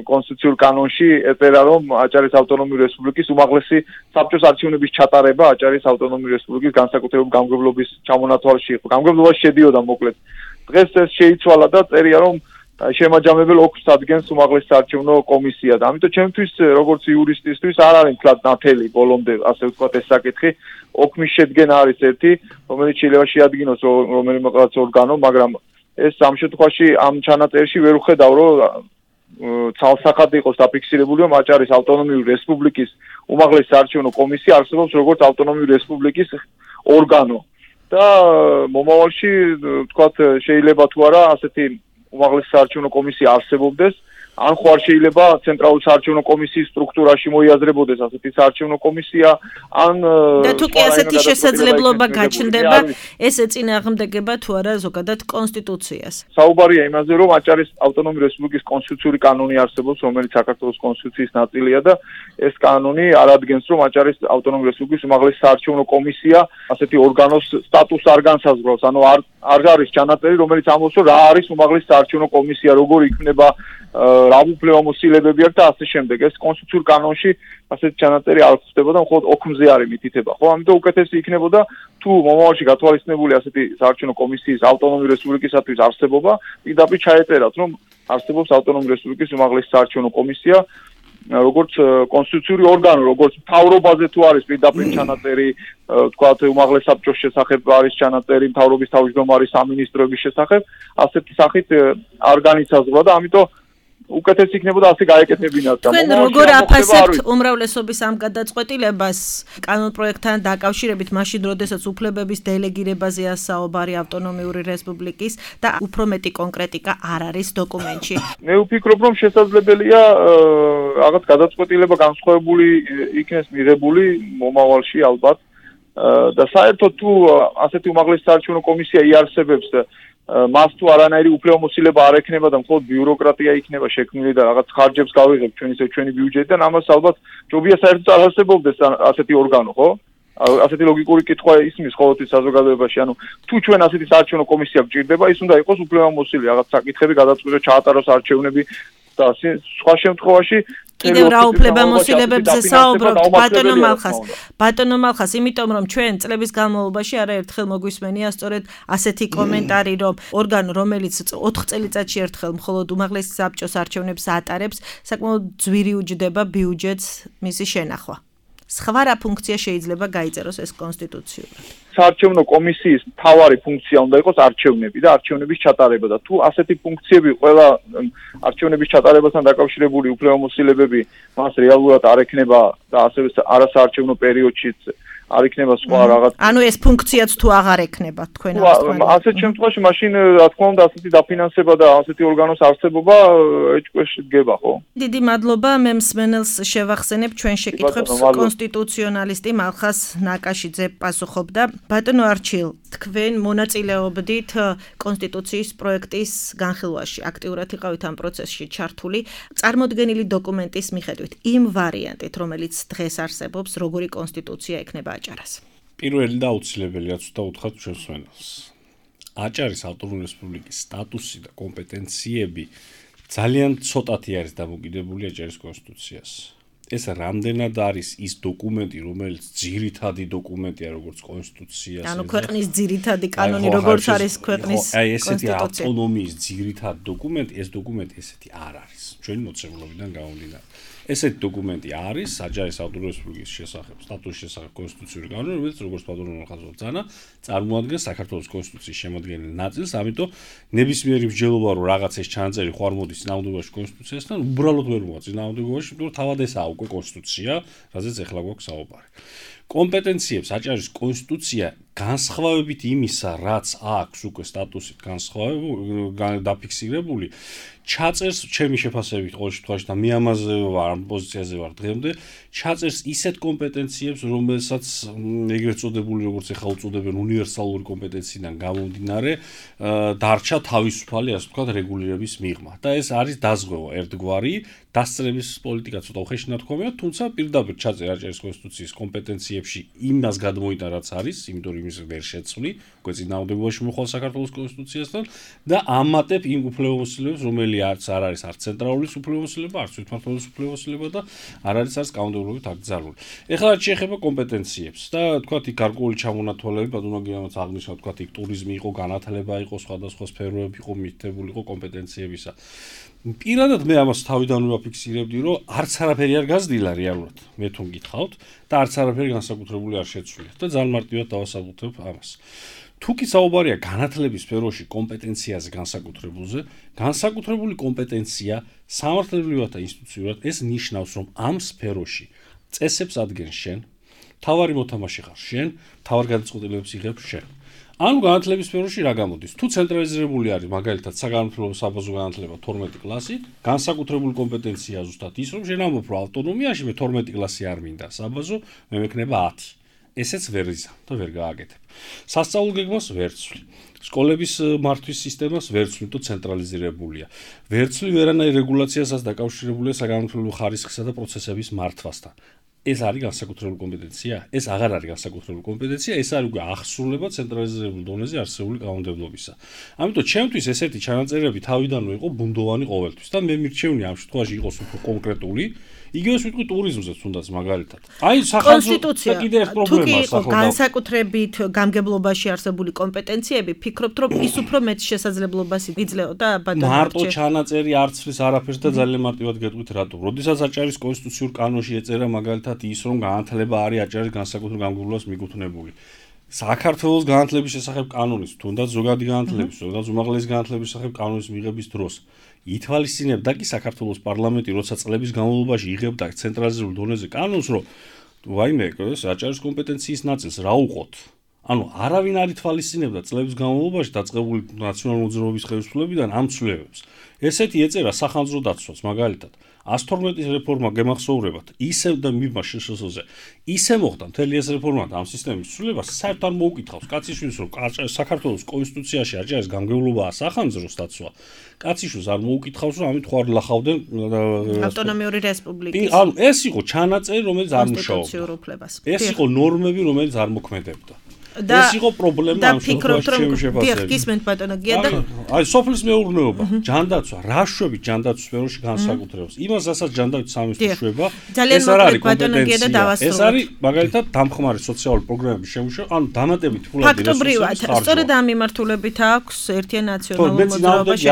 კონსტიტუციურ კანონში ეწერა, რომ აჭარის ავტონომიური რესპუბლიკის უმაღლესი საბჭოს არჩევნების ჩატარება აჭარის ავტონომიური რესპუბლიკის განსაკუთრებული გამგებლობის ჩამონათვალში იყო. გამგებლობაში შედიოდა მოკლედ. დღეს ეს შეიცვალა და წერია, რომ შემაჯამებელ 4 ადგენს უმაღლეს საარჩევნო კომისია და ამიტომ ჩემთვის როგორც იურისტისთვის არ არის თლად ნათელი ბოლომდე ასე ვთქვათ ეს საკითხი ოქმის შედგენა არის ერთი რომელიც შეიძლება შეადგინოს რომელიმე რაღაც ორგანო მაგრამ ეს ამ შემთხვევაში ამ ჩანაწერში ვერ ვხედავ რომ ცალსახად იყოს დაფიქსირებული რომ აჭარის ავტონომიური რესპუბლიკის უმაღლეს საარჩევნო კომისია არსებობს როგორც ავტონომიური რესპუბლიკის ორგანო და მომავალში ვთქვათ შეიძლება თუ არა ასეთი უმაღლეს საარჩევნო კომისია არსებობდეს ან ხوار შეიძლება ცენტრალური საარჩევნო კომისიის სტრუქტურაში მოიაზრებოდეს ასეთი საარჩევნო კომისია ან და თუ კი ასეთი შესაძლებლობა გაჩნდება ეს ეწინააღმდეგება თუ არა ზოგადად კონსტიტუციას საუბარია იმაზე რომ აჭარის ავტონომიური რესპუბლიკის კონსტიტუციური კანონი არსებობს რომელიც საქართველოს კონსტიტუციის ნაწილია და ეს კანონი არადგენს რომ აჭარის ავტონომიური რესპუბლიკის უმაღლეს საარჩევნო კომისია ასეთი ორგანოს სტატუსს არ განსაზღვრავს ანუ არ არის ჩანაწერი რომელიც ამბობს რომ რა არის უმაღლეს საარჩევნო კომისია როგორ იქნება რა უფლებამოსილებები აქვს და ასე შემდეგ. ეს კონსტიტუციურ კანონში ასეთი ჩანაწერი არ ხდებოდა, მხოლოდ ოქმზე არის მითითება, ხო? ამიტომ უკეთესი იქნებოდა თუ მომავალში გათვალისწინებული ასეთი საარჩევნო კომისიის ავტონომიური რესპუბლიკისათვის არსებობა, პირდაპირ ჩაეწერათ, რომ არსებობს ავტონომიური რესპუბლიკის უმაღლესი საარჩევნო კომისია, როგორც კონსტიტუციური ორგანო, როგორც მთავრობაზე თუ არის პირდაპირ ჩანაწერი, თქვათ უმაღლეს საბჭოს შესახებ არის ჩანაწერი, მთავრობის თავმჯდომარის სამინისტროების შესახებ, ასეთი სახით არ განისაზღვრა და ამიტომ უკეთესი იქნებოდა ასე გაეკეთებინათ და თქვენ როგორ აფასებთ უმრავლესობის ამ გადაწყვეტილებას კანონპროექტთან დაკავშირებით მაშინ როდესაც უფლებების დელეგირებაზეა საუბარი ავტონომიური რესპუბლიკის და უფრო მეტი კონკრეტიკა არ არის დოკუმენტში მე ვფიქრობ რომ შესაძლებელია რაღაც გადაწყვეტილება განსხვავებული იქნეს მიღებული მომავალში ალბათ და საერთოდ თუ ასეთი უმაღლესი საარჩევნო კომისია იარსებებს მას თუ არანაირი უფლებამოსილება არ ექნება და მხოლოდ ბიუროკრატია იქნება შექმნილი და რაღაც ხარჯებს გავიღებთ ჩვენი ბიუჯეტიდან ამას ალბათ ჯობია საერთოდ არ არსებობდეს ასეთი ორგანო ხო ასეთი ლოგიკური კითხვა ისმის ყოველთვის საზოგადოებაში ანუ თუ ჩვენ ასეთი საარჩევნო კომისია გჭირდება ის უნდა იყოს უფლებამოსილი რაღაც საკითხები გადაწყვეტოს ჩაატაროს არჩევნები და სხვა შემთხვევაში კიდევ რა უფლებამოსილებებზე საუბრობთ ბატონო მალხას იმიტომ რომ ჩვენ წლების განმავლობაში არაერთხელ მოგვისმენია სწორედ ასეთი კომენტარი რომ ორგანო რომელიც 4 წელიწადში ერთხელ მხოლოდ უმაღლეს საბჭოს არჩევნებს ატარებს საკმაოდ ძვირი უჯდება ბიუჯეტს მისი შენახვა სხვა რა ფუნქცია შეიძლება გაიწეროს ეს კონსტიტუციურად საარჩევნო კომისიის მთავარი ფუნქცია უნდა იყოს არჩევნები და არჩევნების ჩატარება და თუ ასეთი ფუნქციები ყველა არჩევნების ჩატარებასთან დაკავშირებული უფლებამოსილებები მას რეალურად არ ექნება და ასევე არასაარჩევნო პერიოდშიც არ იქნება სხვა რაღაც ანუ ეს ფუნქციაც თუ აღარ ექნება თქვენ ასეთ შემთხვევაში მაშინ რა თქმა უნდა ასეთი დაფინანსება და ასეთი ორგანოს არსებობა ეჭვში დგება ხო დიდი მადლობა მე მსმენელს შევახსენებ ჩვენ შეკითხვებს კონსტიტუციონალისტი მალხას ნაკაშიძე პასუხობდა ბატონო არჩილ თქვენ მონაწილეობდით კონსტიტუციის პროექტის განხილვაში აქტიურად იყავით ამ პროცესში ჩართული წარმოდგენილი დოკუმენტის მიხედვით იმ ვარიანტით რომელიც დღეს არსებობს როგორი კონსტიტუცია ექნება აჭარას. პირველი და აუცილებელია თუ უთხრათ ჩვენს მსმენელს. აჭარის ავტონომიური რესპუბლიკის სტატუსი და კომპეტენციები ძალიან ცოტათი არის დამოკიდებული აჭარის კონსტიტუციას. ეს რამდენად არის ის დოკუმენტი, რომელიც ძირითადი დოკუმენტია როგორც კონსტიტუციას. ანუ ქვეყნის ძირითადი კანონი როგორც არის ქვეყნის ესეთი ავტონომიის ძირითადი დოკუმენტი, ეს დოკუმენტი ესეთი არ არის. ჩვენი მოცემულობიდან გამომდინარე. ესეთი დოკუმენტი არის აჭარის ავტონომიური რესპუბლიკის შესახებ, სტატუსის შესახებ კონსტიტუციური კანონი, რომელიც როგორც ბატონო ხაზოვ ძანა, წარმოადგენს საქართველოს კონსტიტუციის შემადგენელ ნაწილს, ამიტომ ნებისმიერი მსჯელობა რომ რაღაც ეს ჩანაწერი ხوار მოდის წინააღმდეგობაში კონსტიტუციასთან, უბრალოდ ვერ მოვა წინააღმდეგობაში, იმიტომ რომ თავად ესაა უკვე კონსტიტუცია, რაზეც ახლა გვაქვს საუბარი. კომპეტენციებს აჭარის კონსტიტუცია განსხვავებით იმისა, რაც აქვს უკვე სტატუსით განსხვავებული, დაფიქსირებული, ჩაწერს ჩემი შეფასებით ყოველ შემთხვევაში და მე ამაზე ვარ, ამ პოზიციაზე ვარ დღემდე, ჩაწერს ისეთ კომპეტენციებს, რომელსაც ეგრეთ წოდებული, როგორც ახლა უწოდებენ უნივერსალური კომპეტენციიდან გამომდინარე, დარჩა თავისუფალი, ასე ვთქვათ, რეგულირების მიღმა. და ეს არის დაზღვევა ერთგვარი, დასწრების პოლიტიკა ცოტა უხეში ნათქვამია, თუმცა პირდაპირ ჩაწერა აჭარის კონსტიტუციის კომპეტენციებს კომპეტენციებში იმას გადმოიტანა რაც არის, იმიტომ რომ იმის ვერ შეცვლი, უკვე წინააღმდეგობაში მოხვალ საქართველოს კონსტიტუციასთან და ამატებ იმ უფლებამოსილებს, რომელიც არ არის არც ცენტრალური უფლებამოსილება, არც თვითმმართველობის უფლებამოსილება და არ არის კანონმდებლობით აკრძალული. ეხლა რაც შეეხება კომპეტენციებს და თქვათ იქ გარკვეული ჩამონათვალები, ბატონო გიამაც აღნიშნა, თქვათ იქ ტურიზმი იყო, განათლება იყო, სხვადასხვა სფეროები იყო მითითებული იყო კომპეტენციებისა. პირადად მე ამას თავიდანვე ვაფიქსირებდი, რომ არც არაფერი არ გაზრდილა რეალურად, მე თუ მგითხავთ და არც არაფერი განსაკუთრებული არ შეცვლიათ და ძალიან მარტივად დავასაბუთებ ამას. თუ კი საუბარია განათლების სფეროში კომპეტენციაზე განსაკუთრებული კომპეტენცია სამართლებრივად და ინსტიტუციურად ეს ნიშნავს, რომ ამ სფეროში წესებს ადგენს შენ, თავარი მოთამაშე ხარ შენ, თავარ გადაწყვეტილებებს იღებ შენ. ანუ განათლების სფეროში რა გამოდის? თუ ცენტრალიზებული არის მაგალითად საგანმანათლებლო საბაზო განათლება 12 კლასი, განსაკუთრებული კომპეტენცია ზუსტად ის, რომ შენ ამბობ, რომ ავტონომიაში მე 12 კლასი არ მინდა საბაზო, მე მექნება 10. ესეც ვერ იზა და ვერ გააკეთებ. სასწავლო გეგმას ვერცვლი. სკოლების მართვის სისტემას ვერცვლი, თუ ცენტრალიზებულია. ვერცვლი ვერანაირ რეგულაციასაც დაკავშირებულია საგანმანათლებლო ხარისხისა და პროცესების მართვასთან. ეს არის განსაკუთრებული კომპეტენცია? ეს აღარ არის განსაკუთრებული კომპეტენცია, ეს არის უკვე ახსრულება ცენტრალიზებულ დონეზე არსებული კანონმდებლობისა. ამიტომ ჩემთვის ესეთი ჩანაწერები თავიდანვე იყო ბუნდოვანი ყოველთვის და მე მირჩევნი ამ შემთხვევაში იყოს უფრო კონკრეტული. იგივე ვიტყვი ტურიზმზეც თუნდაც მაგალითად. აი სახელმწიფო და კიდე ერთ პრობლემას ახლა განსაკუთრებით გამგებლობაში არსებული კომპეტენციები, ფიქრობთ რომ ის უფრო მეტ შესაძლებლობას იძლეოდა ბატონო მარტო ჩანაწერი არცვლის არაფერს და ძალიან მარტივად გეტყვით რატო. როდესაც აჭარის კონსტიტუციურ კანონში ეწერა მაგალითად ის რომ განათლება არის აჭარის განსაკუთრებულ გამგებლობას მიკუთვნებული. საქართველოს განათლების შესახებ კანონის, თუნდაც ზოგადი განათლების, თუნდაც უმაღლესი განათლების შესახებ კანონის მიღების დროს ითვალისწინებდა კი საქართველოს პარლამენტი, როცა წლების განმავლობაში იღებდა ცენტრალიზებულ დონეზე კანონს, რომ ვაიმე, ეს აჭარის კომპეტენციის ნაწილს რა უყოთ. ანუ არავინ არ ითვალისწინებდა წლების განმავლობაში დაწყებული ნაციონალური მოძრაობის ხელისუფლებიდან ამ ცვლილებებს. ესეთი ეწერა სახანძრო დაცვას მაგალითად 112-ის რეფორმა გემახსოვრებათ, ისევ და მიბმა შეშოზე. ისე მოხდა მთელი ეს რეფორმა და ამ სისტემის ცვლილებას საერთოდ არ მოუკითხავს კაციშვილს, რომ საქართველოს კონსტიტუციაში აჭარის გამგებლობაა სახანძროს დაცვა. კაციშვილს არ მოუკითხავს, რომ ამით ხوار ლახავდნენ ავტონომიური რესპუბლიკის. ანუ ეს იყო ჩანაწერი, რომელიც არ მუშაობდა. ეს იყო ნორმები, რომელიც არ მოქმედებდა. ეს იყო პრობლემა ამ შემთხვევაში. გისმენთ ბატონო გია და აი სოფლის მეურნეობა, ჯანდაცვა, რაშვები ჯანდაცვის სფეროში განსაკუთრებს. იმას რასაც ჯანდაცვის სამინისტრო შვება, ეს არ არის კომპეტენცია. ეს არის მაგალითად დამხმარე სოციალური პროგრამების შემუშავა, ანუ დამატებით ფულადი ფაქტობრივად, სწორედ ამ მიმართულებით აქვს ერთიან ნაციონალურ მოძრაობაში.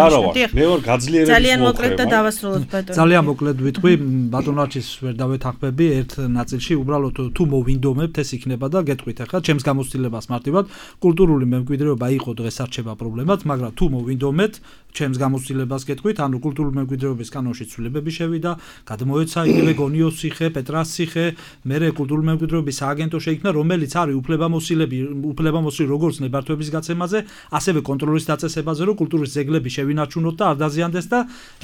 მე ვარ გაძლიერების ძალიან მოკლედ და დავასრულოთ ბატონო. ძალიან მოკლედ ვიტყვი, ბატონაჩის ვერ დავეთანხმები ერთ ნაწილში, უბრალოდ თუ მოვინდომებთ ეს იქნება და გეტყვით ახლა ჩემს გამოცდილებას მარტივად კულტურული მემკვიდრეობა იყო დღეს არჩება პრობლემად, მაგრამ თუ მოვინდომეთ ჩემს გამოცდილებას გეტყვით, ანუ კულტურული მემკვიდრეობის კანონში ცვლილებები შევიდა, გადმოეცა იგივე გონიოს ციხე, პეტრას ციხე, მერე კულტურული მემკვიდრეობის სააგენტო შეიქმნა, რომელიც არის უფლებამოსილი როგორც ნებართვების გაცემაზე, ასევე კონტროლის დაწესებაზე, რომ კულტურის ძეგლები შევინარჩუნოთ და არ დაზიანდეს და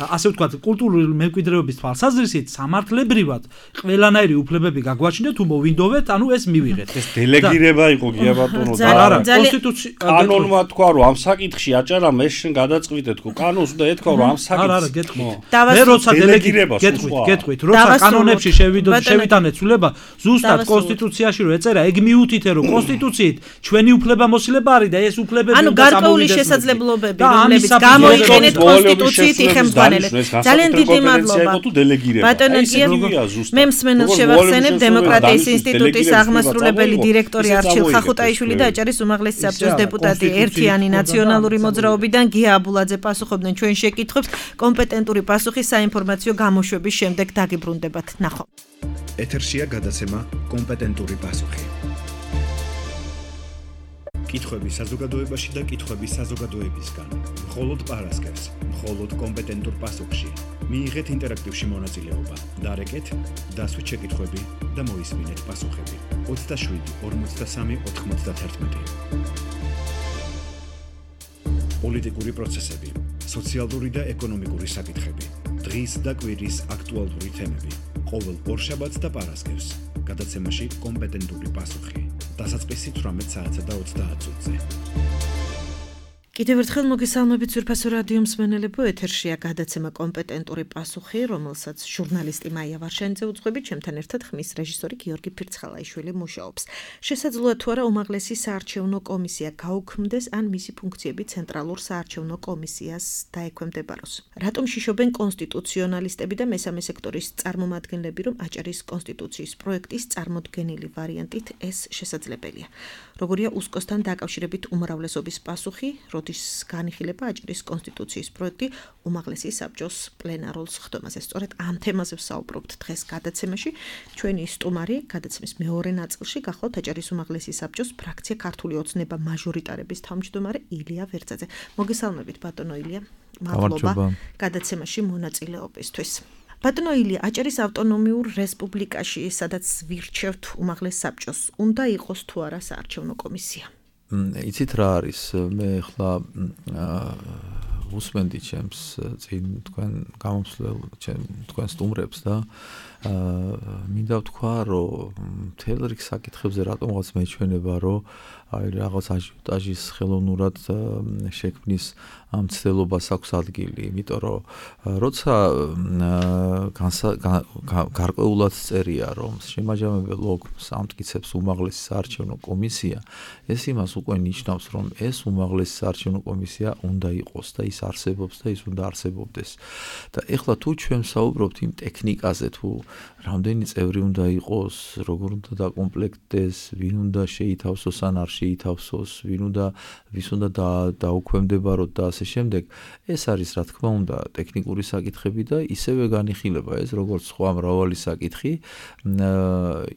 ასე ვთქვათ, კულტურული მემკვიდრეობის თვალსაზრისით სამართლებრივად ყველანაირი უფლებები გაგვაჩნდა, თუ მოვინდოვეთ, ანუ ეს მივიღეთ. ეს დელეგირება იყო გია ბატონო და არა, კონსტიტუცია კანონმა თქვა, რომ ამ საკითხში აჭარა მე შენ გადაწყვიტეთ, კანონს და ეთქვა, რომ ამ საკითხს არა, გეტყვით. მე როცა დელეგირებას გეტყვით, როცა კანონებში შევიტანეთ ცვლილება, ზუსტად კონსტიტუციაში რომ ეწერა, ეგ მიუთითე, რომ კონსტიტუციით ჩვენი უფლებამოსილება არის და ეს უფლებები ანუ გარკვეული შესაძლებლობები, რომლებიც გამოიყენეთ კონსტიტუციით იხელმძღვანელეთ. ძალიან დიდი მადლობა. ბატონო გია, მე მსმენელს შევახსენებ დემოკრატიის ინსტიტუტის აღმასრულებელი დირექტორი არჩილ ხახუტაიშვილი და აჭარის უმაღლესი საბჭოს დეპუტატი ერთიანი ნაციონალური მოძრაობიდან გია აბულაძე პასუხობდნენ ჩვენ შეკითხვებს. კომპეტენტური პასუხი საინფორმაციო გამოშვების შემდეგ დაგიბრუნდებათ. ნახავთ. ეთერშია გადაცემა კომპეტენტური პასუხი. კითხვები საზოგადოებაში და კითხვები საზოგადოებისგან. მხოლოდ პარასკევს, მხოლოდ კომპეტენტურ პასუხში. მიიღეთ ინტერაქტივში მონაწილეობა. დარეკეთ, დასვით შეკითხვები და მოისმინეთ პასუხები. 27 43 91. პოლიტიკური პროცესები, სოციალური და ეკონომიკური საკითხები, დღის და კვირის აქტუალური თემები. ყოველ ორშაბათს და პარასკევს გადაცემაში კომპეტენტური პასუხი. დასაწყისი 18 საათსა და 30 წუთზე. კიდევ ერთხელ მოგესალმებით ძვირფასო რადიო მსმენელებო, ეთერშია გადაცემა კომპეტენტური პასუხი, რომელსაც ჟურნალისტი მაია ვარშანიძე უძღვებით, ჩემთან ერთად ხმის რეჟისორი გიორგი ფირცხალაიშვილი მუშაობს. შესაძლოა თუ არა უმაღლესი საარჩევნო კომისია გაუქმდეს ან მისი ფუნქციები ცენტრალურ საარჩევნო კომისიას დაექვემდებაროს. რატომ შიშობენ კონსტიტუციონალისტები და მესამე სექტორის წარმომადგენლები, რომ აჭარის კონსტიტუციის პროექტის წარმოდგენილი ვარიანტით ეს შესაძლებელია? როგორია უსკოსთან დაკავშირებით უმრავლესობის პასუხი, როდის განიხილება აჭარის კონსტიტუციის პროექტი უმაღლესი საბჭოს პლენარულ სხდომაზე. სწორედ ამ თემაზე ვსაუბრობთ დღეს გადაცემაში. ჩვენი სტუმარი გადაცემის მეორე ნაწილში გახლავთ აჭარის უმაღლესი საბჭოს ფრაქცია ქართული ოცნება მაჟორიტარების თავმჯდომარე ილია ვერძაძე. მოგესალმებით ბატონო ილია. მადლობა გადაცემაში მონაწილეობისთვის. ბატონო ილია, აჭარის ავტონომიურ რესპუბლიკაში, სადაც ვირჩევთ უმაღლეს საბჭოს, უნდა იყოს თუ არა საარჩევნო კომისია? იცით რა არის, მე ახლა უსმენდი ჩემს წინ თქვენ გამომცვლელ თქვენ სტუმრებს და მინდა ვთქვა, რომ მთელ რიგ საკითხებზე რატომღაც მეჩვენება, რომ აი რაღაც აჟიოტაჟის ხელოვნურად შექმნის მცდელობას აქვს ადგილი, იმიტომ რომ როცა გარკვეულად წერია, რომ შემაჯამებელ ოგმს ამტკიცებს უმაღლესი საარჩევნო კომისია, ეს იმას უკვე ნიშნავს, რომ ეს უმაღლესი საარჩევნო კომისია უნდა იყოს და ის არსებობს და ის უნდა არსებობდეს. და ეხლა თუ ჩვენ საუბრობთ იმ ტექნიკაზე, თუ რამდენი წევრი უნდა იყოს, როგორ უნდა დაკომპლექტდეს, ვინ უნდა შეითავსოს ან არ შეითავსოს, ვის უნდა დაუქვემდებაროთ და ასე შემდეგ, ეს არის რა თქმა უნდა ტექნიკური საკითხები და ისევე განიხილება ეს როგორც სხვა მრავალი საკითხი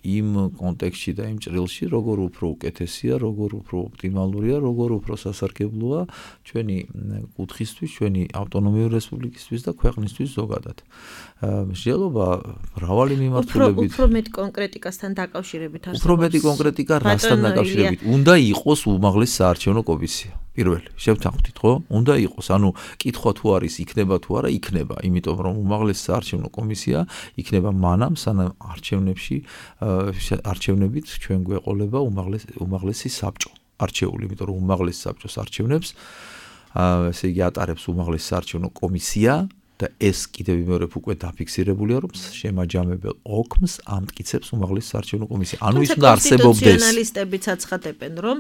იმ კონტექსტში და იმ ჭრილში, როგორ უფრო უკეთესია, როგორ უფრო ოპტიმალურია, როგორ უფრო სასარგებლოა ჩვენი კუთხისთვის, ჩვენი ავტონომიური რესპუბლიკისთვის და ქვეყნისთვის ზოგადად. მსჯელობა მრავალი მიმართულებით უფრო მეტ კონკრეტიკასთან დაკავშირებით არსებობს. უფრო მეტი კონკრეტიკა რასთან დაკავშირებით? უნდა იყოს უმაღლესი საარჩევნო კომისია. პირველი, შევთანხმდით, ხო? უნდა იყოს, ანუ კითხვა თუ არის, იქნება თუ არა, იქნება, იმიტომ რომ უმაღლესი საარჩევნო კომისია იქნება მანამ, სანამ არჩევნებით ჩვენ გვეყოლება უმაღლესი საბჭო არჩეული, იმიტომ რომ უმაღლესი საბჭოს არჩევნებს ესე იგი ატარებს უმაღლესი საარჩევნო კომისია და ეს კიდევ მეორე უკვე დაფიქსირებულია, რომ შემაჯამებელ ოგმს ამტკიცებს უმაღლესი საარჩევნო კომისია. ანუ ის უნდა არსებობდეს. კონსტიტუციონალისტებიც აცხადებენ, რომ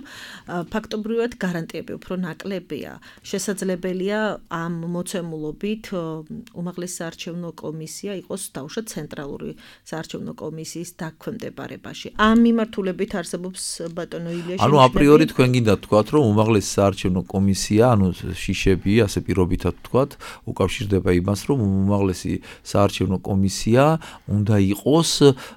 ფაქტობრივად გარანტიები უფრო ნაკლებია. შესაძლებელია ამ მოცემულობით უმაღლესი საარჩევნო კომისია იყოს დაუშვათ ცენტრალური საარჩევნო კომისიის დაქვემდებარებაში. ამ მიმართულებით არსებობს ბატონო ილია. ანუ აპრიორი თქვენ გინდა თქვათ, რომ უმაღლესი საარჩევნო კომისია, ანუ შიშები, ასე პირობითად თქვათ, უკავშირდება რომ უმაღლესი საარჩევნო კომისია უნდა იყოს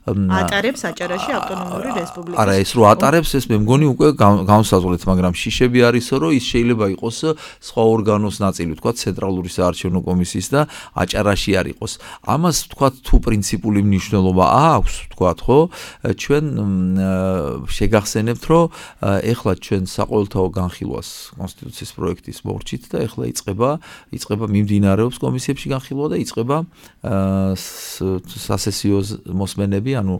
ატარებს აჭარაში ავტონომიური რესპუბლიკის. არა, ეს რო ატარებს, ეს მე მგონი უკვე განსაზღვრეთ, მაგრამ შიშები არისო, რომ ის შეიძლება იყოს სხვა ორგანოს ნაწილი, თქვათ ცენტრალური საარჩევნო კომისიის და აჭარაში არ იყოს. ამას თქვათ თუ პრინციპული მნიშვნელობა აქვს, თქვათ, ხო? ჩვენ შეგახსენებთ, რომ ეხლა ჩვენ საყოველთაო განხილვას კონსტიტუციის პროექტის მორჩით და ეხლა იწყება მიმდინარეობს კომისიებში განხილვა და იწყება სასესიო მოსმენები, ანუ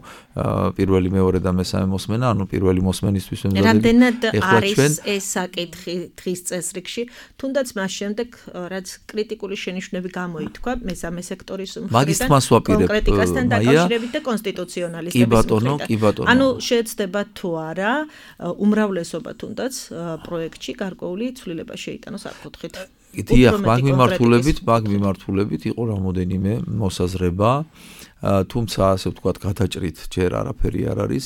პირველი, მეორე და მესამე მოსმენა, ანუ პირველი მოსმენისთვის ვემზადებით. რამდენად არის ეს საკითხი დღის წესრიგში, თუნდაც მას შემდეგ, რაც კრიტიკული შენიშვნები გამოითქვა მესამე სექტორის მხრიდან, კონკრეტიკასთან დაკავშირებით და კონსტიტუციონალისტების მხრიდან. ანუ შეეცდება თუ არა უმრავლესობა თუნდაც პროექტში გარკვეული ცვლილება შეიტანოს, არ გქოთხით. დიახ, მაგ მიმართულებით იყო რამოდენიმე მოსაზრება, თუმცა ასე ვთქვათ, გადაჭრით ჯერ არაფერი არ არის.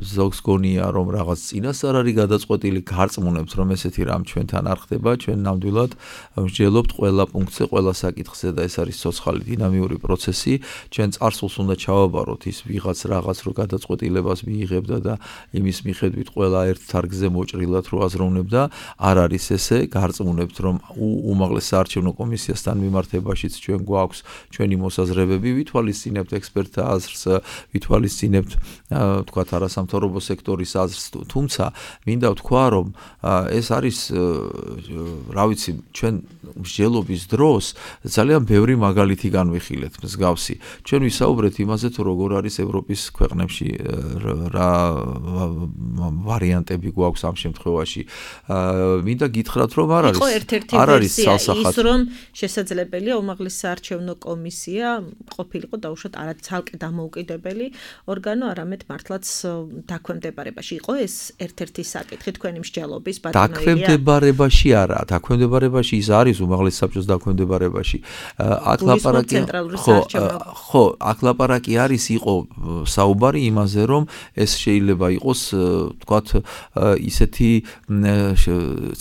ზოგს გონია, რომ რაღაც წინასწარ არის გადაწყვეტილი, გარწმუნებთ, რომ ესეთი რამ ჩვენთან არ ხდება, ჩვენ ნამდვილად ვსჯელობთ ყველა პუნქტზე, ყველა საკითხზე და ეს არის ცოცხალი დინამიური პროცესი. ჩვენ წარსულს უნდა ჩავაბაროთ ის ვიღაც რაღაც რო გადაწყვეტილებას მიიღებდა და იმის მიხედვით ყველა ერთ თარგზე მოჭრილად რო აზროვნებდა, არ არის ესე, გარწმუნებთ, რომ უმაღლეს საარჩევნო კომისიასთან მიმართებაშიც ჩვენ გვაქვს ჩვენი მოსაზრებები, ვითვალის ვითვალისწინებთ ექსპერტთა აზრს, ვითვალისწინებთ თქვათ არასამთავრობო სექტორის აზრს, თუმცა მინდა ვთქვა, რომ ეს არის რა ვიცი, ჩვენ მსჯელობის დროს ძალიან ბევრი მაგალითი განვიხილეთ მსგავსი. ჩვენ ვისაუბრეთ იმაზე, თუ როგორ არის ევროპის ქვეყნებში რა ვარიანტები გვაქვს ამ შემთხვევაში. მინდა გითხრათ, რომ არ არის ის რომ შესაძლებელია უმაღლესი საარჩევნო კომისია ყოფილიყო დაუშვათ არა ცალკე დამოუკიდებელი ორგანო, არამედ მართლაც დაქვემდებარებაში იყო ეს ერთ-ერთი საკითხი თქვენი მსჯელობის ბატონო ილია. დაქვემდებარებაში არა, დაქვემდებარებაში ის არის უმაღლესი საბჭოს დაქვემდებარებაში. აქ ლაპარაკი ხო, აქ ლაპარაკი არის იყო საუბარი იმაზე, რომ ეს შეიძლება იყოს თქვათ ისეთი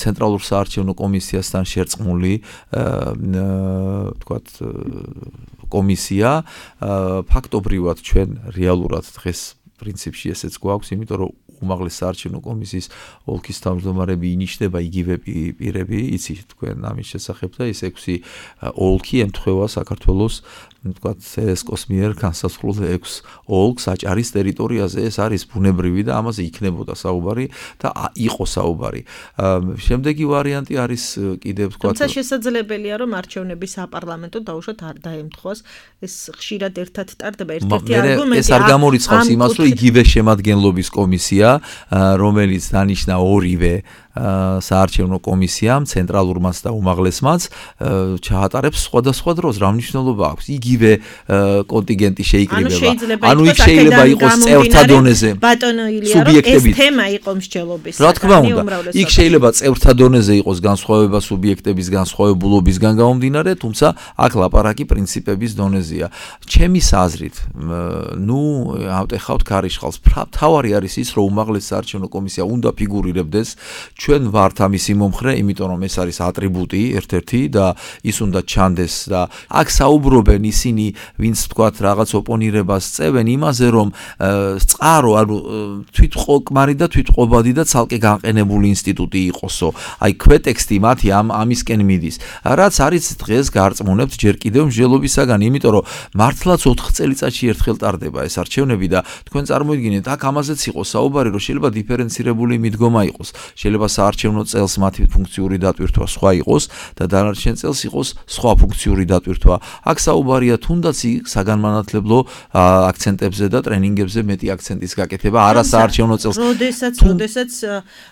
ცენტრალურ საარჩევნო კომისიასთან შერწყმული თქვათ კომისია ფაქტობრივად ჩვენ რეალურად დღეს პრინციპში ესეც გვაქვს, იმიტომ რომ უმაღლესი საარჩევნო კომისიის ოლქის თავმჯდომარები ინიშნება იგივე პირები, იცით თქვენ ამის შესახებ და ეს 6 ოლქი ემთხვევა საქართველოს თქვათ ესკოს მიერ განსაზღვრულ 6 ოლქს აჭარის ტერიტორიაზე. ეს არის ბუნებრივი და ამაზე იქნებოდა საუბარი და იყო საუბარი. შემდეგი ვარიანტი არის კიდევ თქვათ თუმცა შესაძლებელია რომ არჩევნების საპარლამენტო დაუშვათ არ დაემთხვას, ეს ხშირად ერთად ტარდება, ერთ-ერთი არგუმენტი. ეს არ გამორიცხავს იმას, რომ იგივე შემადგენლობის კომისია, რომელიც დანიშნა ორივე საარჩევნო კომისიამ, ცენტრალურმაც და უმაღლესმაც ჩაატარებს სხვადასხვა დროს. რა მნიშვნელობა აქვს? იგივე კონტინგენტი შეიკრიბება. ანუ იქ შეიძლება იყოს წევრთა დონეზე. ბატონო ილია, რომ ეს თემა იყო მსჯელობის. რა თქმა უნდა, იქ შეიძლება წევრთა დონეზე იყოს განსხვავება სუბიექტების განსხვავებულობისგან გამომდინარე, თუმცა აქ ლაპარაკი პრინციპების დონეზეა. ჩემის აზრით, ავტეხავთ ქარიშხალს. თავარი არის ის, რომ უმაღლესი საარჩევნო კომისია უნდა ფიგურირებდეს. ჩვენ ვართ ამისი მომხრე, იმიტომ რომ ეს არის ატრიბუტი ერთ-ერთი და ის უნდა ჩანდეს და აქ საუბრობენ ისინი, ვინც თქვათ რაღაც ოპონირებას წევენ იმაზე, რომ წყარო, ანუ თვითყოკმარი და თვითყობადი და ცალკე განყენებული ინსტიტუტი იყოსო. აი ქვეტექსტი მათი ამისკენ მიდის. რაც არის დღეს გარწმუნებთ ჯერ კიდევ მსჯელობისაგან, იმიტომ რომ მართლაც 4 წელიწადში ერთხელ ტარდება ეს არჩევნები და თქვენ წარმოიდგინეთ, აქ ამაზეც იყო საუბარი, რომ შეიძლება დიფერენცირებული მიდგომა იყოს. შეიძლება საარჩევნო წელს მათი ფუნქციური დატვირთვა სხვა იყოს და დანარჩენ წელს იყოს სხვა ფუნქციური დატვირთვა. აქ საუბარია თუნდაც საგანმანათლებლო აქცენტებზე და ტრენინგებზე მეტი აქცენტის გაკეთება, არა საარჩევნო წელს. როდესაც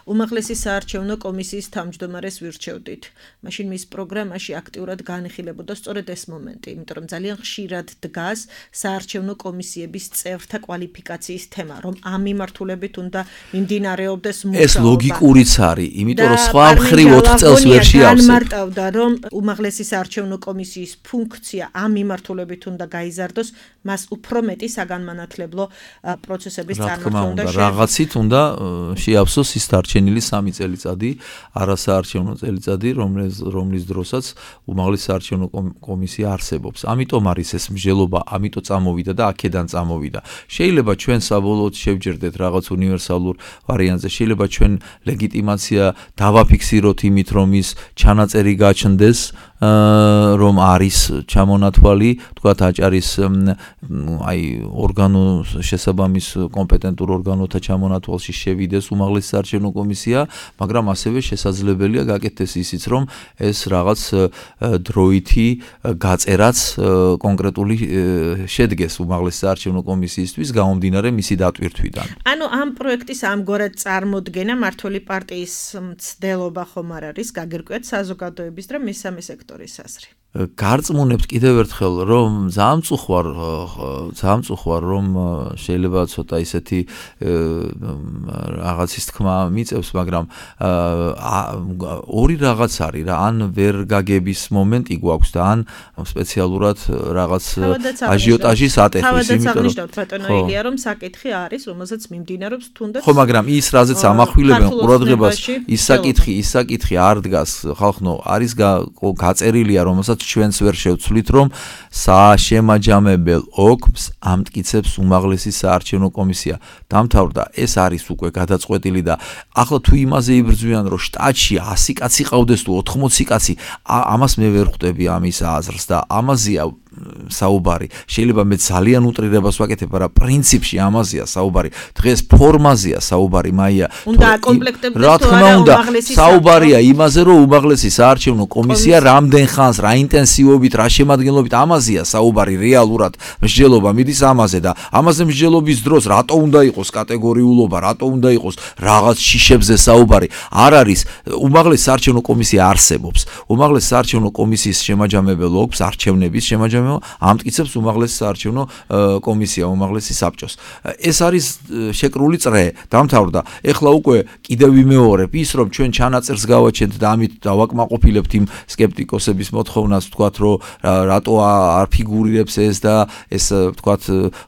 უმაღლესი საარჩევნო კომისიის თავმჯდომარეს ვირჩევდით, მაშინ მის პროგრამაში აქტიურად განიხილებოდა სწორედ ეს მომენტი, იმიტომ რომ ძალიან ხშირად დგას საარჩევნო კომისიების წევრთა კვალიფიკაციის თემა, რომ ამ მიმართულებით უნდა მიმდინარეობდეს მუშაობა. ეს ლოგიკურიც არის, იმიტომ რომ სხვა მხრივ 4 წელს ვერ შეავსებ. განმარტავდა, რომ უმაღლესი საარჩევნო კომისიის ფუნქცია ამ მიმართულებით უნდა გაიზარდოს, მას უფრო მეტი საგანმანათლებლო პროცესების წარმართვა უნდა შეეძლოს. რაღაცით უნდა შეავსოს ის დარჩენილი 3 წელიწადი, არასაარჩევნო წელიწადი, რომლის დროსაც უმაღლესი საარჩევნო კომისია არსებობს. ამიტომ არის ეს მსჯელობა, ამიტომ წამოვიდა და აქედან წამოვიდა. შეიძლება ჩვენ საბოლოოდ შევჯერდეთ რაღაც უნივერსალურ ვარიანტზე, შეიძლება ჩვენ ლეგიტიმაცია დავაფიქსიროთ იმით, რომ ის ჩანაწერი გაჩნდეს, რომ არის ჩამონათვალი, თქვათ აჭარის აი ორგანო შესაბამის კომპეტენტურ ორგანოთა ჩამონათვალში შევიდეს უმაღლესი საარჩევნო კომისია, მაგრამ ასევე შესაძლებელია გაკეთდეს ისიც, რომ ეს რაღაც დროითი გაწერაც კონკრეტული შედგეს უმაღლესი საარჩევნო კომისიისთვის გამომდინარე მისი დატვირთვიდან. ანუ ამ პროექტის ამგვარად წარმოდგენა მართველი პარტიის მცდელობა ხომ არ არის, გაგირკვევთ საზოგადოების და მესამე სექტორის აზრი. გარწმუნებთ კიდევ ერთხელ, რომ ძალიან წუხوار, რომ შეიძლება ცოტა ისეთი რაღაცის თქმა მიწევს, მაგრამ ორი რაღაც არის რა, ან ვერ გაგების მომენტი გვაქვს და ან სპეციალურად რაღაც აჟიოტაჟის ატეხვის, იმიტომ რომ ბატონო ილია, რომ საკითხი არის, რომელზეც მიმდინარეობს თუნდაც ხო, მაგრამ ის რაზეც ამახვილებენ ყურადღებას, ის საკითხი არ დგას, ხალხო, არის გაწერილია, რომელსაც ჩვენც ვერ შევცვლით, რომ სააშემაჯამებელ ოკმს ამტკიცებს უმაღლესი საარჩევნო კომისია. დამთავრდა, ეს არის უკვე გადაწყვეტილი და ახლა თუ იმაზე იბრძვიან, რომ შტატში 100 კაცი ყავდეს თუ 80 კაცი, ამას მე ვერ ხვდები ამის აზრს და ამაზეა საუბარი. შეიძლება მე ძალიან უტრირებას ვაკეთებ, მაგრამ პრინციპში ამაზეა საუბარი. დღეს ფორმაზეა საუბარი, მაია. უნდა აკომპლექტებდეს რა თქმა უნდა, საუბარია იმაზე, რომ უმაღლესი საარჩევნო კომისია რამდენ ხანს, რა ინტენსივობით, რა შემადგენლობით ამაზეა საუბარი რეალურად. მსჯელობა მიდის ამაზე და ამაზე მსჯელობის დროს რატო უნდა იყოს კატეგორიულობა, რატო უნდა იყოს რაღაც შიშებზე საუბარი. არ არის უმაღლესი საარჩევნო კომისია არსებობს. უმაღლესი საარჩევნო კომისიის შემაჯამებელ ოლქს არჩევნების შემაჯამება ამტკიცებს უმაღლესი საარჩევნო კომისია, უმაღლესი საბჭოს. ეს არის შეკრული წრე, დამთავრდა. ეხლა უკვე კიდევ ვიმეორებ ის, რომ ჩვენ ჩანაწერს გავაჩენთ და ამით დავაკმაყოფილებთ იმ სკეპტიკოსების მოთხოვნას, ვთქვათ, რომ რატო არ ფიგურირებს ეს და ეს ვთქვათ,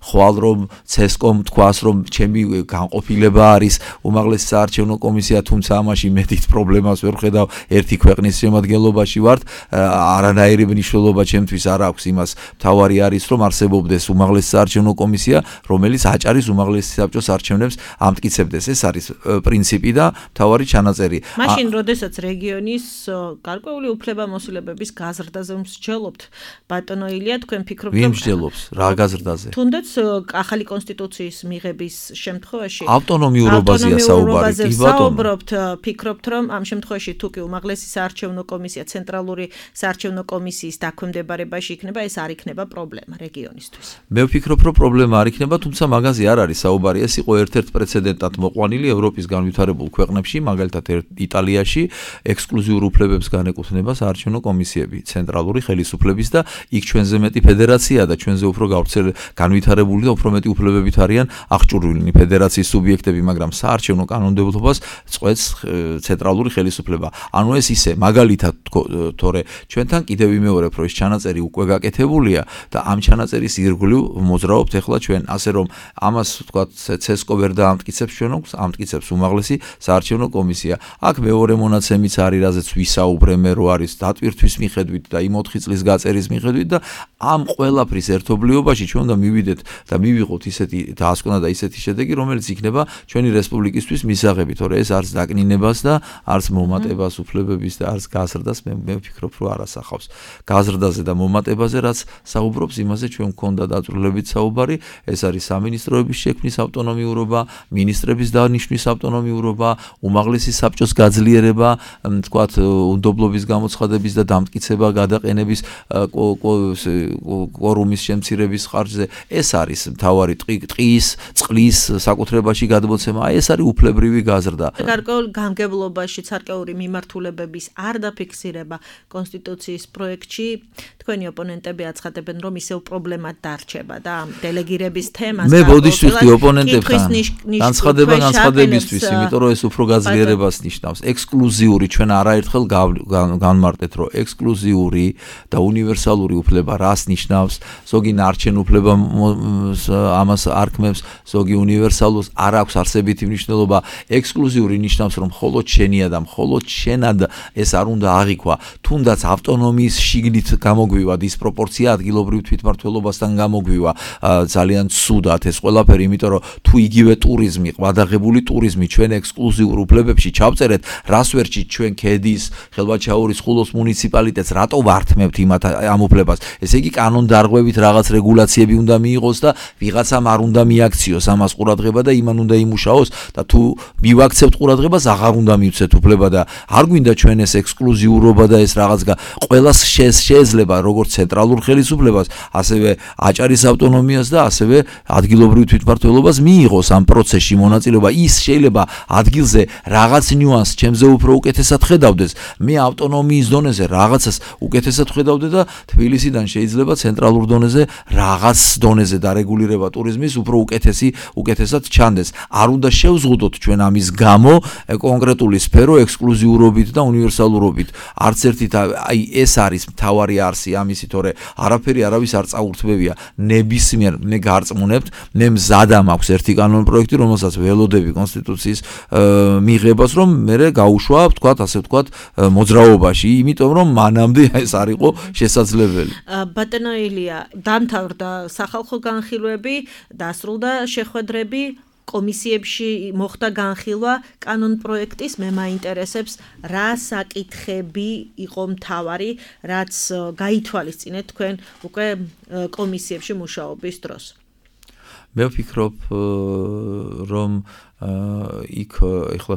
ხვალ რომ CESCOM თქვას, რომ ჩემი განყოფილება არის უმაღლესი საარჩევნო კომისია, თუმცა ამაში მე დიდ პრობლემას ვერ ვხედავ. ერთი ქვეყნის შემადგენლობაში ვართ, არანაირი მნიშვნელობა ჩემთვის არ აქვს იმას. მთავარი არის, რომ არსებობდეს უმაღლესი საარჩევნო კომისია, რომელიც აჭარის უმაღლესი საბჭოს არჩევნებს ამტკიცებდეს. ეს არის პრინციპი და მთავარი ჩანაწერი. მაშინ, როდესაც რეგიონის გარკვეული უფლებამოსილებების გაზრდაზე მსჯელობთ, ბატონო ილია, თქვენ ფიქრობთ, ვინ მსჯელობს რა გაზრდაზე? თუნდაც ახალი კონსტიტუციის მიღების შემთხვევაში ავტონომიურობაზეა საუბარი. კი ბატონო. ფიქრობთ, რომ ამ შემთხვევაში თუ კი უმაღლესი საარჩევნო კომისია ცენტრალური საარჩევნო კომისიის დაქვემდებარებაში იქნება, ეს არ იქნება პრობლემა რეგიონისთვის. მე ვფიქრობ, რომ პრობლემა არ იქნება, თუმცა მაგაზე არ არის საუბარი. ეს იყო ერთ-ერთ პრეცედენტად მოყვანილი ევროპის განვითარებულ ქვეყნებში, მაგალითად იტალიაში ექსკლუზიურ უფლებებს განეკუთვნება საარჩევნო კომისიები, ცენტრალური ხელისუფლების და იქ ჩვენზე მეტი ფედერაციაა და ჩვენზე უფრო განვითარებული და უფრო მეტი უფლებებით არიან აღჭურვილნი ფედერაციის სუბიექტები, მაგრამ საარჩევნო კანონმდებლობას წყვეტს ცენტრალური ხელისუფლება. ანუ ეს ისე მაგალითად თორე ჩვენთან კიდევ ვიმეორებ, რომ ეს ჩანაწერი უკვე გაკეთებულია და ამ ჩანაწერის ირგვლივ მოძრაობთ ახლა ჩვენ, ასე რომ ამას ვთქვათ CESCO ვერ დაამტკიცებს ჩვენ აქვს, ამტკიცებს უმაღლესი საარჩევნო კომისია. აქ მეორე მონაცემიც არის, რაზეც ვისაუბრე მე, რო არის დატვირთვის მიხედვით და იმ 4 წლის გაწერის მიხედვით და ამ ყველაფრის ერთობლიობაში ჩვენ უნდა მივიდეთ და მივიღოთ ისეთი დაასკვნა და ისეთი შედეგი, რომელიც იქნება ჩვენი რესპუბლიკისთვის მისაღები, თორე ეს არც დაკნინებას და არც მომატებას უფლებების და არც გაზრდას მე ვფიქრობ, რომ არ ასახავს. გაზრდაზე და მომატებაზე რაც საუბრობს, იმაზე ჩვენ მქონდა დაწვრილებით საუბარი, ეს არის სამინისტროების შექმნის ავტონომიურობა, მინისტრების დანიშვნის ავტონომიურობა, უმაღლესი საბჭოს გაძლიერება, თქვათ, უნდობლობის გამოცხადების და დამტკიცება გადაყენების კვორუმის შემცირების ხარჯზე. ეს არის მთავარი ტყის, წყლის საკუთრებაში გადმოცემა. ეს არის უფლებრივი გაზრდა. გარკვეულ გამგებლობაში ცარკეული მიმართულებების არ დაფიქსირება კონსტიტუციის პროექტში, თქვენი ოპონენტები აცხადებენ, რომ ისევ პრობლემად დარჩება და დელეგირების თემას მე ბოდიშ ვიხდი ოპონენტებთან. განცხადებისთვის, იმიტომ რომ ეს უფრო გაძლიერებას ნიშნავს. ექსკლუზიური ჩვენ არაერთხელ განმარტეთ, რომ ექსკლუზიური და უნივერსალური უფლება რას ნიშნავს? ზოგი ნარჩენ უფლება ამას არქმევს, ზოგი უნივერსალურს არ აქვს არსებითი მნიშვნელობა. ექსკლუზიური ნიშნავს, რომ მხოლოდ შენია და მხოლოდ შენად ეს არ უნდა აღიქვა. თუნდაც ავტონომიის შიგნით გამოგვივა დისპროპორცია ადგილობრივ თვითმმართველობასთან გამოგვივა. ძალიან ცუდად ეს ყველაფერი, იმიტომ რომ თუ იგივე ტურიზმი, ყვადაღებული ტურიზმი ჩვენ ექსკლუზიურ უფლებებში ჩავწერეთ, რას ვერჩით ჩვენ ქედის, ხელვაჩაურის, ხულოს მუნიციპალიტეტს, რატო ვართმევთ ამ უფლებას? ესე იგი კანონდარღვევით რაღაც რეგულაციები უნდა მიიღოს და ვიღაცამ არ უნდა მიაქციოს ამას ყურადღება და იმან უნდა იმუშაოს და თუ მივაქცევთ ყურადღებას, აღარ უნდა მივცეთ უფლება და არ გვინდა ჩვენ ეს ექსკლუზიურობა და ეს რაღაც ყველას შეიძლება როგორც ცენტრალურ ხელისუფლებას, ასევე აჭარის ავტონომიას და ასევე ადგილობრივ თვითმმართველობას მიიღოს ამ პროცესში მონაწილეობა. ის შეიძლება ადგილზე რაღაც ნიუანსს ჩემზე უფრო უკეთესად ხედავდეს. მე ავტონომიის დონეზე რაღაცას უკეთესად ხედავდე და თბილისიდან შეიძლება ცენტრალურ დონეზე რაღაც დონეზე დარეგულირება ტურიზმის უფრო უკეთესად ჩანდეს. არ უნდა შევზღუდოთ ჩვენ ამის გამო კონკრეტული სფერო ექსკლუზიურობით და უნივერსალურობით. არც ერთით აი ეს არის მთავარი არსი ამისი, თორე არაფერი არავის არ წაურთმევია. ნებისმიერ მე გარწმუნებთ, მე მზადა მაქვს ერთი კანონ პროექტი, რომელსაც ველოდები კონსტიტუციის მიღებას, რომ მე გაუშვა, ვთქვათ, ასე ვთქვათ, მოძრაობაში, იმიტომ რომ მანამდე ეს არ იყო შესაძლებელი. ბატონო ილია, დამთავრდა სახალხო განხილვები, დასრულდა შეხვედრები, კომისიებში მოხდა განხილვა კანონ პროექტის, მე მაინტერესებს რა საკითხები იყო მთავარი, რაც გაითვალისწინეთ თქვენ უკვე კომისიებში მუშაობის დროს. მე ვფიქრობ, რომ იქ ეხლა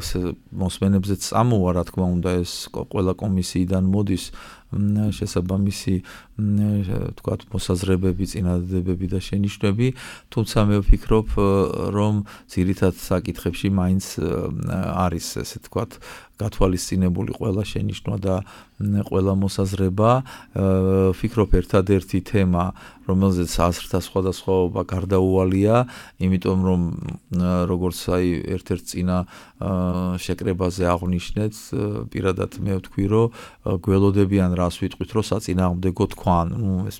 მოსმენებზეც წამოვა, რა თქმა უნდა, ეს ყველა კომისიიდან მოდის შესაბამისი თქვათ მოსაზრებები, წინადადებები და შენიშვნები, თუმცა მე ვფიქრობ, რომ ძირითად საკითხებში მაინც არის ესე თქვათ გათვალისწინებული ყველა შენიშვნა და ყველა მოსაზრება. ვფიქრობ, ერთადერთი თემა, რომელზეც აზრთა სხვადასხვაობა გარდაუვალია, იმიტომ რომ როგორც აი ერთ-ერთ წინა შეკრებაზე აღვნიშნეთ, პირადად მე ვთქვი, რომ გველოდებიან რას ვიტყვით, რომ საწინააღმდეგო თქვან, ეს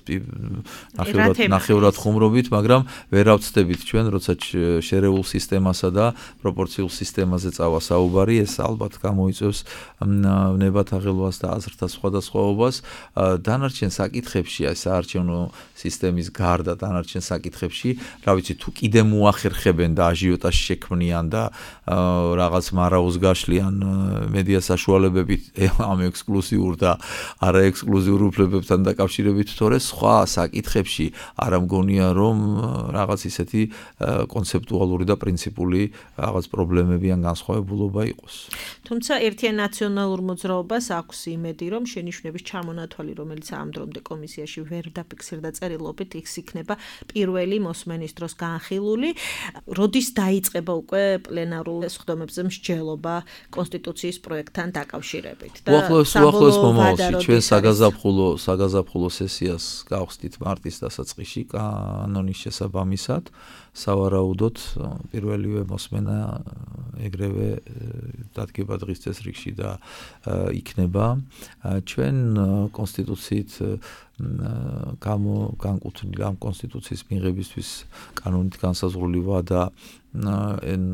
ნახევრად ხუმრობით, მაგრამ ვერ ავწდებით ჩვენ, როცა შერეულ სისტემასა და პროპორციულ სისტემაზე წავა საუბარი, ეს ალბათ გამოიწვევს ნებათაღელვას და აზრთა სხვადასხვაობას. დანარჩენ საკითხებში, აი საარჩევნო სისტემის გარდა დანარჩენ საკითხებში, რა ვიცი, თუ კიდე მოახერხებენ და აჟიოტაჟი შექმნიან და რაღაც მარაოს გაშლიან მედია საშუალებებით ამ ექსკლუზიურ და არაექსკლუზიურ უფლებებთან დაკავშირებით, თორე სხვა საკითხებში არ მგონია, რომ რაღაც ისეთი კონცეპტუალური და პრინციპული რაღაც პრობლემები ან განსხვავებულობა იყოს. თუმცა ერთიან ნაციონალურ მოძრაობას აქვს იმედი, რომ შენიშვნების ჩამონათვალი, რომელიც ამ დრომდე კომისიაში ვერ დაფიქსირდა წერილობით, ის იქნება პირველი მოსმენის დროს განხილული. როდის დაიწყება უკვე პლენარულ სხდომებზე მსჯელობა კონსტიტუციის პროექტთან დაკავშირებით? უახლოეს მომავალში ჩვენ საგაზაფხულო სესიას გავხსნით მარტის დასაწყისში კანონის შესაბამისად. სავარაუდოდ პირველივე მოსმენა ეგრევე დადგება დღის წესრიგში და იქნება. ჩვენ კონსტიტუციით განკუთვნილი ამ კონსტიტუციის მიღებისთვის კანონით განსაზღვრული ვადა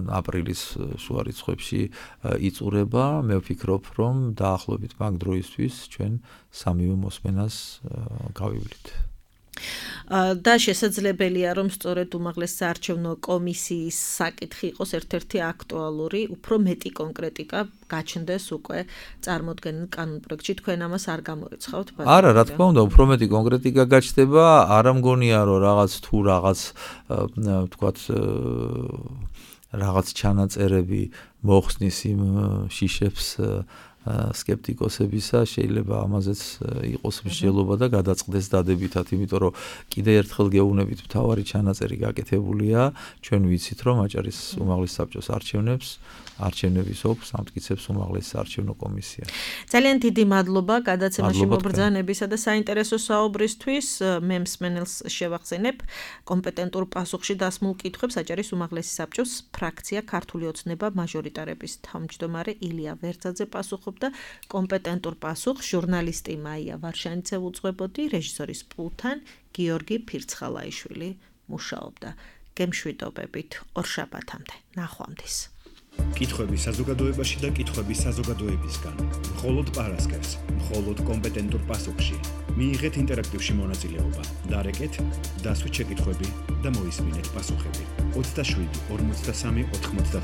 აპრილის შუა რიცხვებში იწურება. მე ვფიქრობ, რომ დაახლოებით მაგ დროისთვის ჩვენ სამივე მოსმენას გავივლით. და შესაძლებელია, რომ სწორედ უმაღლეს საარჩევნო კომისიის საკითხი იყოს ერთ-ერთი აქტუალური, უფრო მეტი კონკრეტიკა გაჩნდეს უკვე წარმოდგენილ კანონპროექტში. თქვენ ამას არ გამოიცხავთ? არა, რა თქმა უნდა, უფრო მეტი კონკრეტიკა გაჩნდება. არ მგონია, რომ რაღაც თქვათ რაღაც ჩანაწერები მოხსნის იმ შიშებს სკეპტიკოსებისა, შეიძლება ამაზეც იყოს მსჯელობა და გადაწყდეს დადებითად, იმიტომ რომ კიდე ერთხელ გეუბნებით, მთავარი ჩანაწერი გაკეთებულია, ჩვენ ვიცით, რომ აჭარის უმაღლეს საბჭოს არჩევნების ოფს ამტკიცებს უმაღლეს საარჩევნო კომისია. ძალიან დიდი მადლობა გადაცემაში მობრძანებისა და საინტერესო საუბრისთვის. მე მსმენელს შევახსენებ კომპეტენტურ პასუხში დასმულ კითხვებს აჭარის უმაღლესი საბჭოს ფრაქცია ქართული ოცნება მაჟორიტარების თავმჯდომარე ილია ვერცაძე პასუხობდა. კომპეტენტურ პასუხს ჟურნალისტი მაია ვარშანიძე უძღვებოდი, რეჟისორის პულტთან გიორგი ფირცხალაიშვილი მუშაობდა. გემშვიდობებით ორშაბათამდე. ნახვამდის. კითხვები საზოგადოებაში და კითხვები საზოგადოებისგან. მხოლოდ პარასკევს, მხოლოდ კომპეტენტურ პასუხში. მიიღეთ ინტერაქტივში მონაწილეობა. დარეკეთ, დასვით შეკითხვები და მოისმინეთ პასუხები. 27 43 90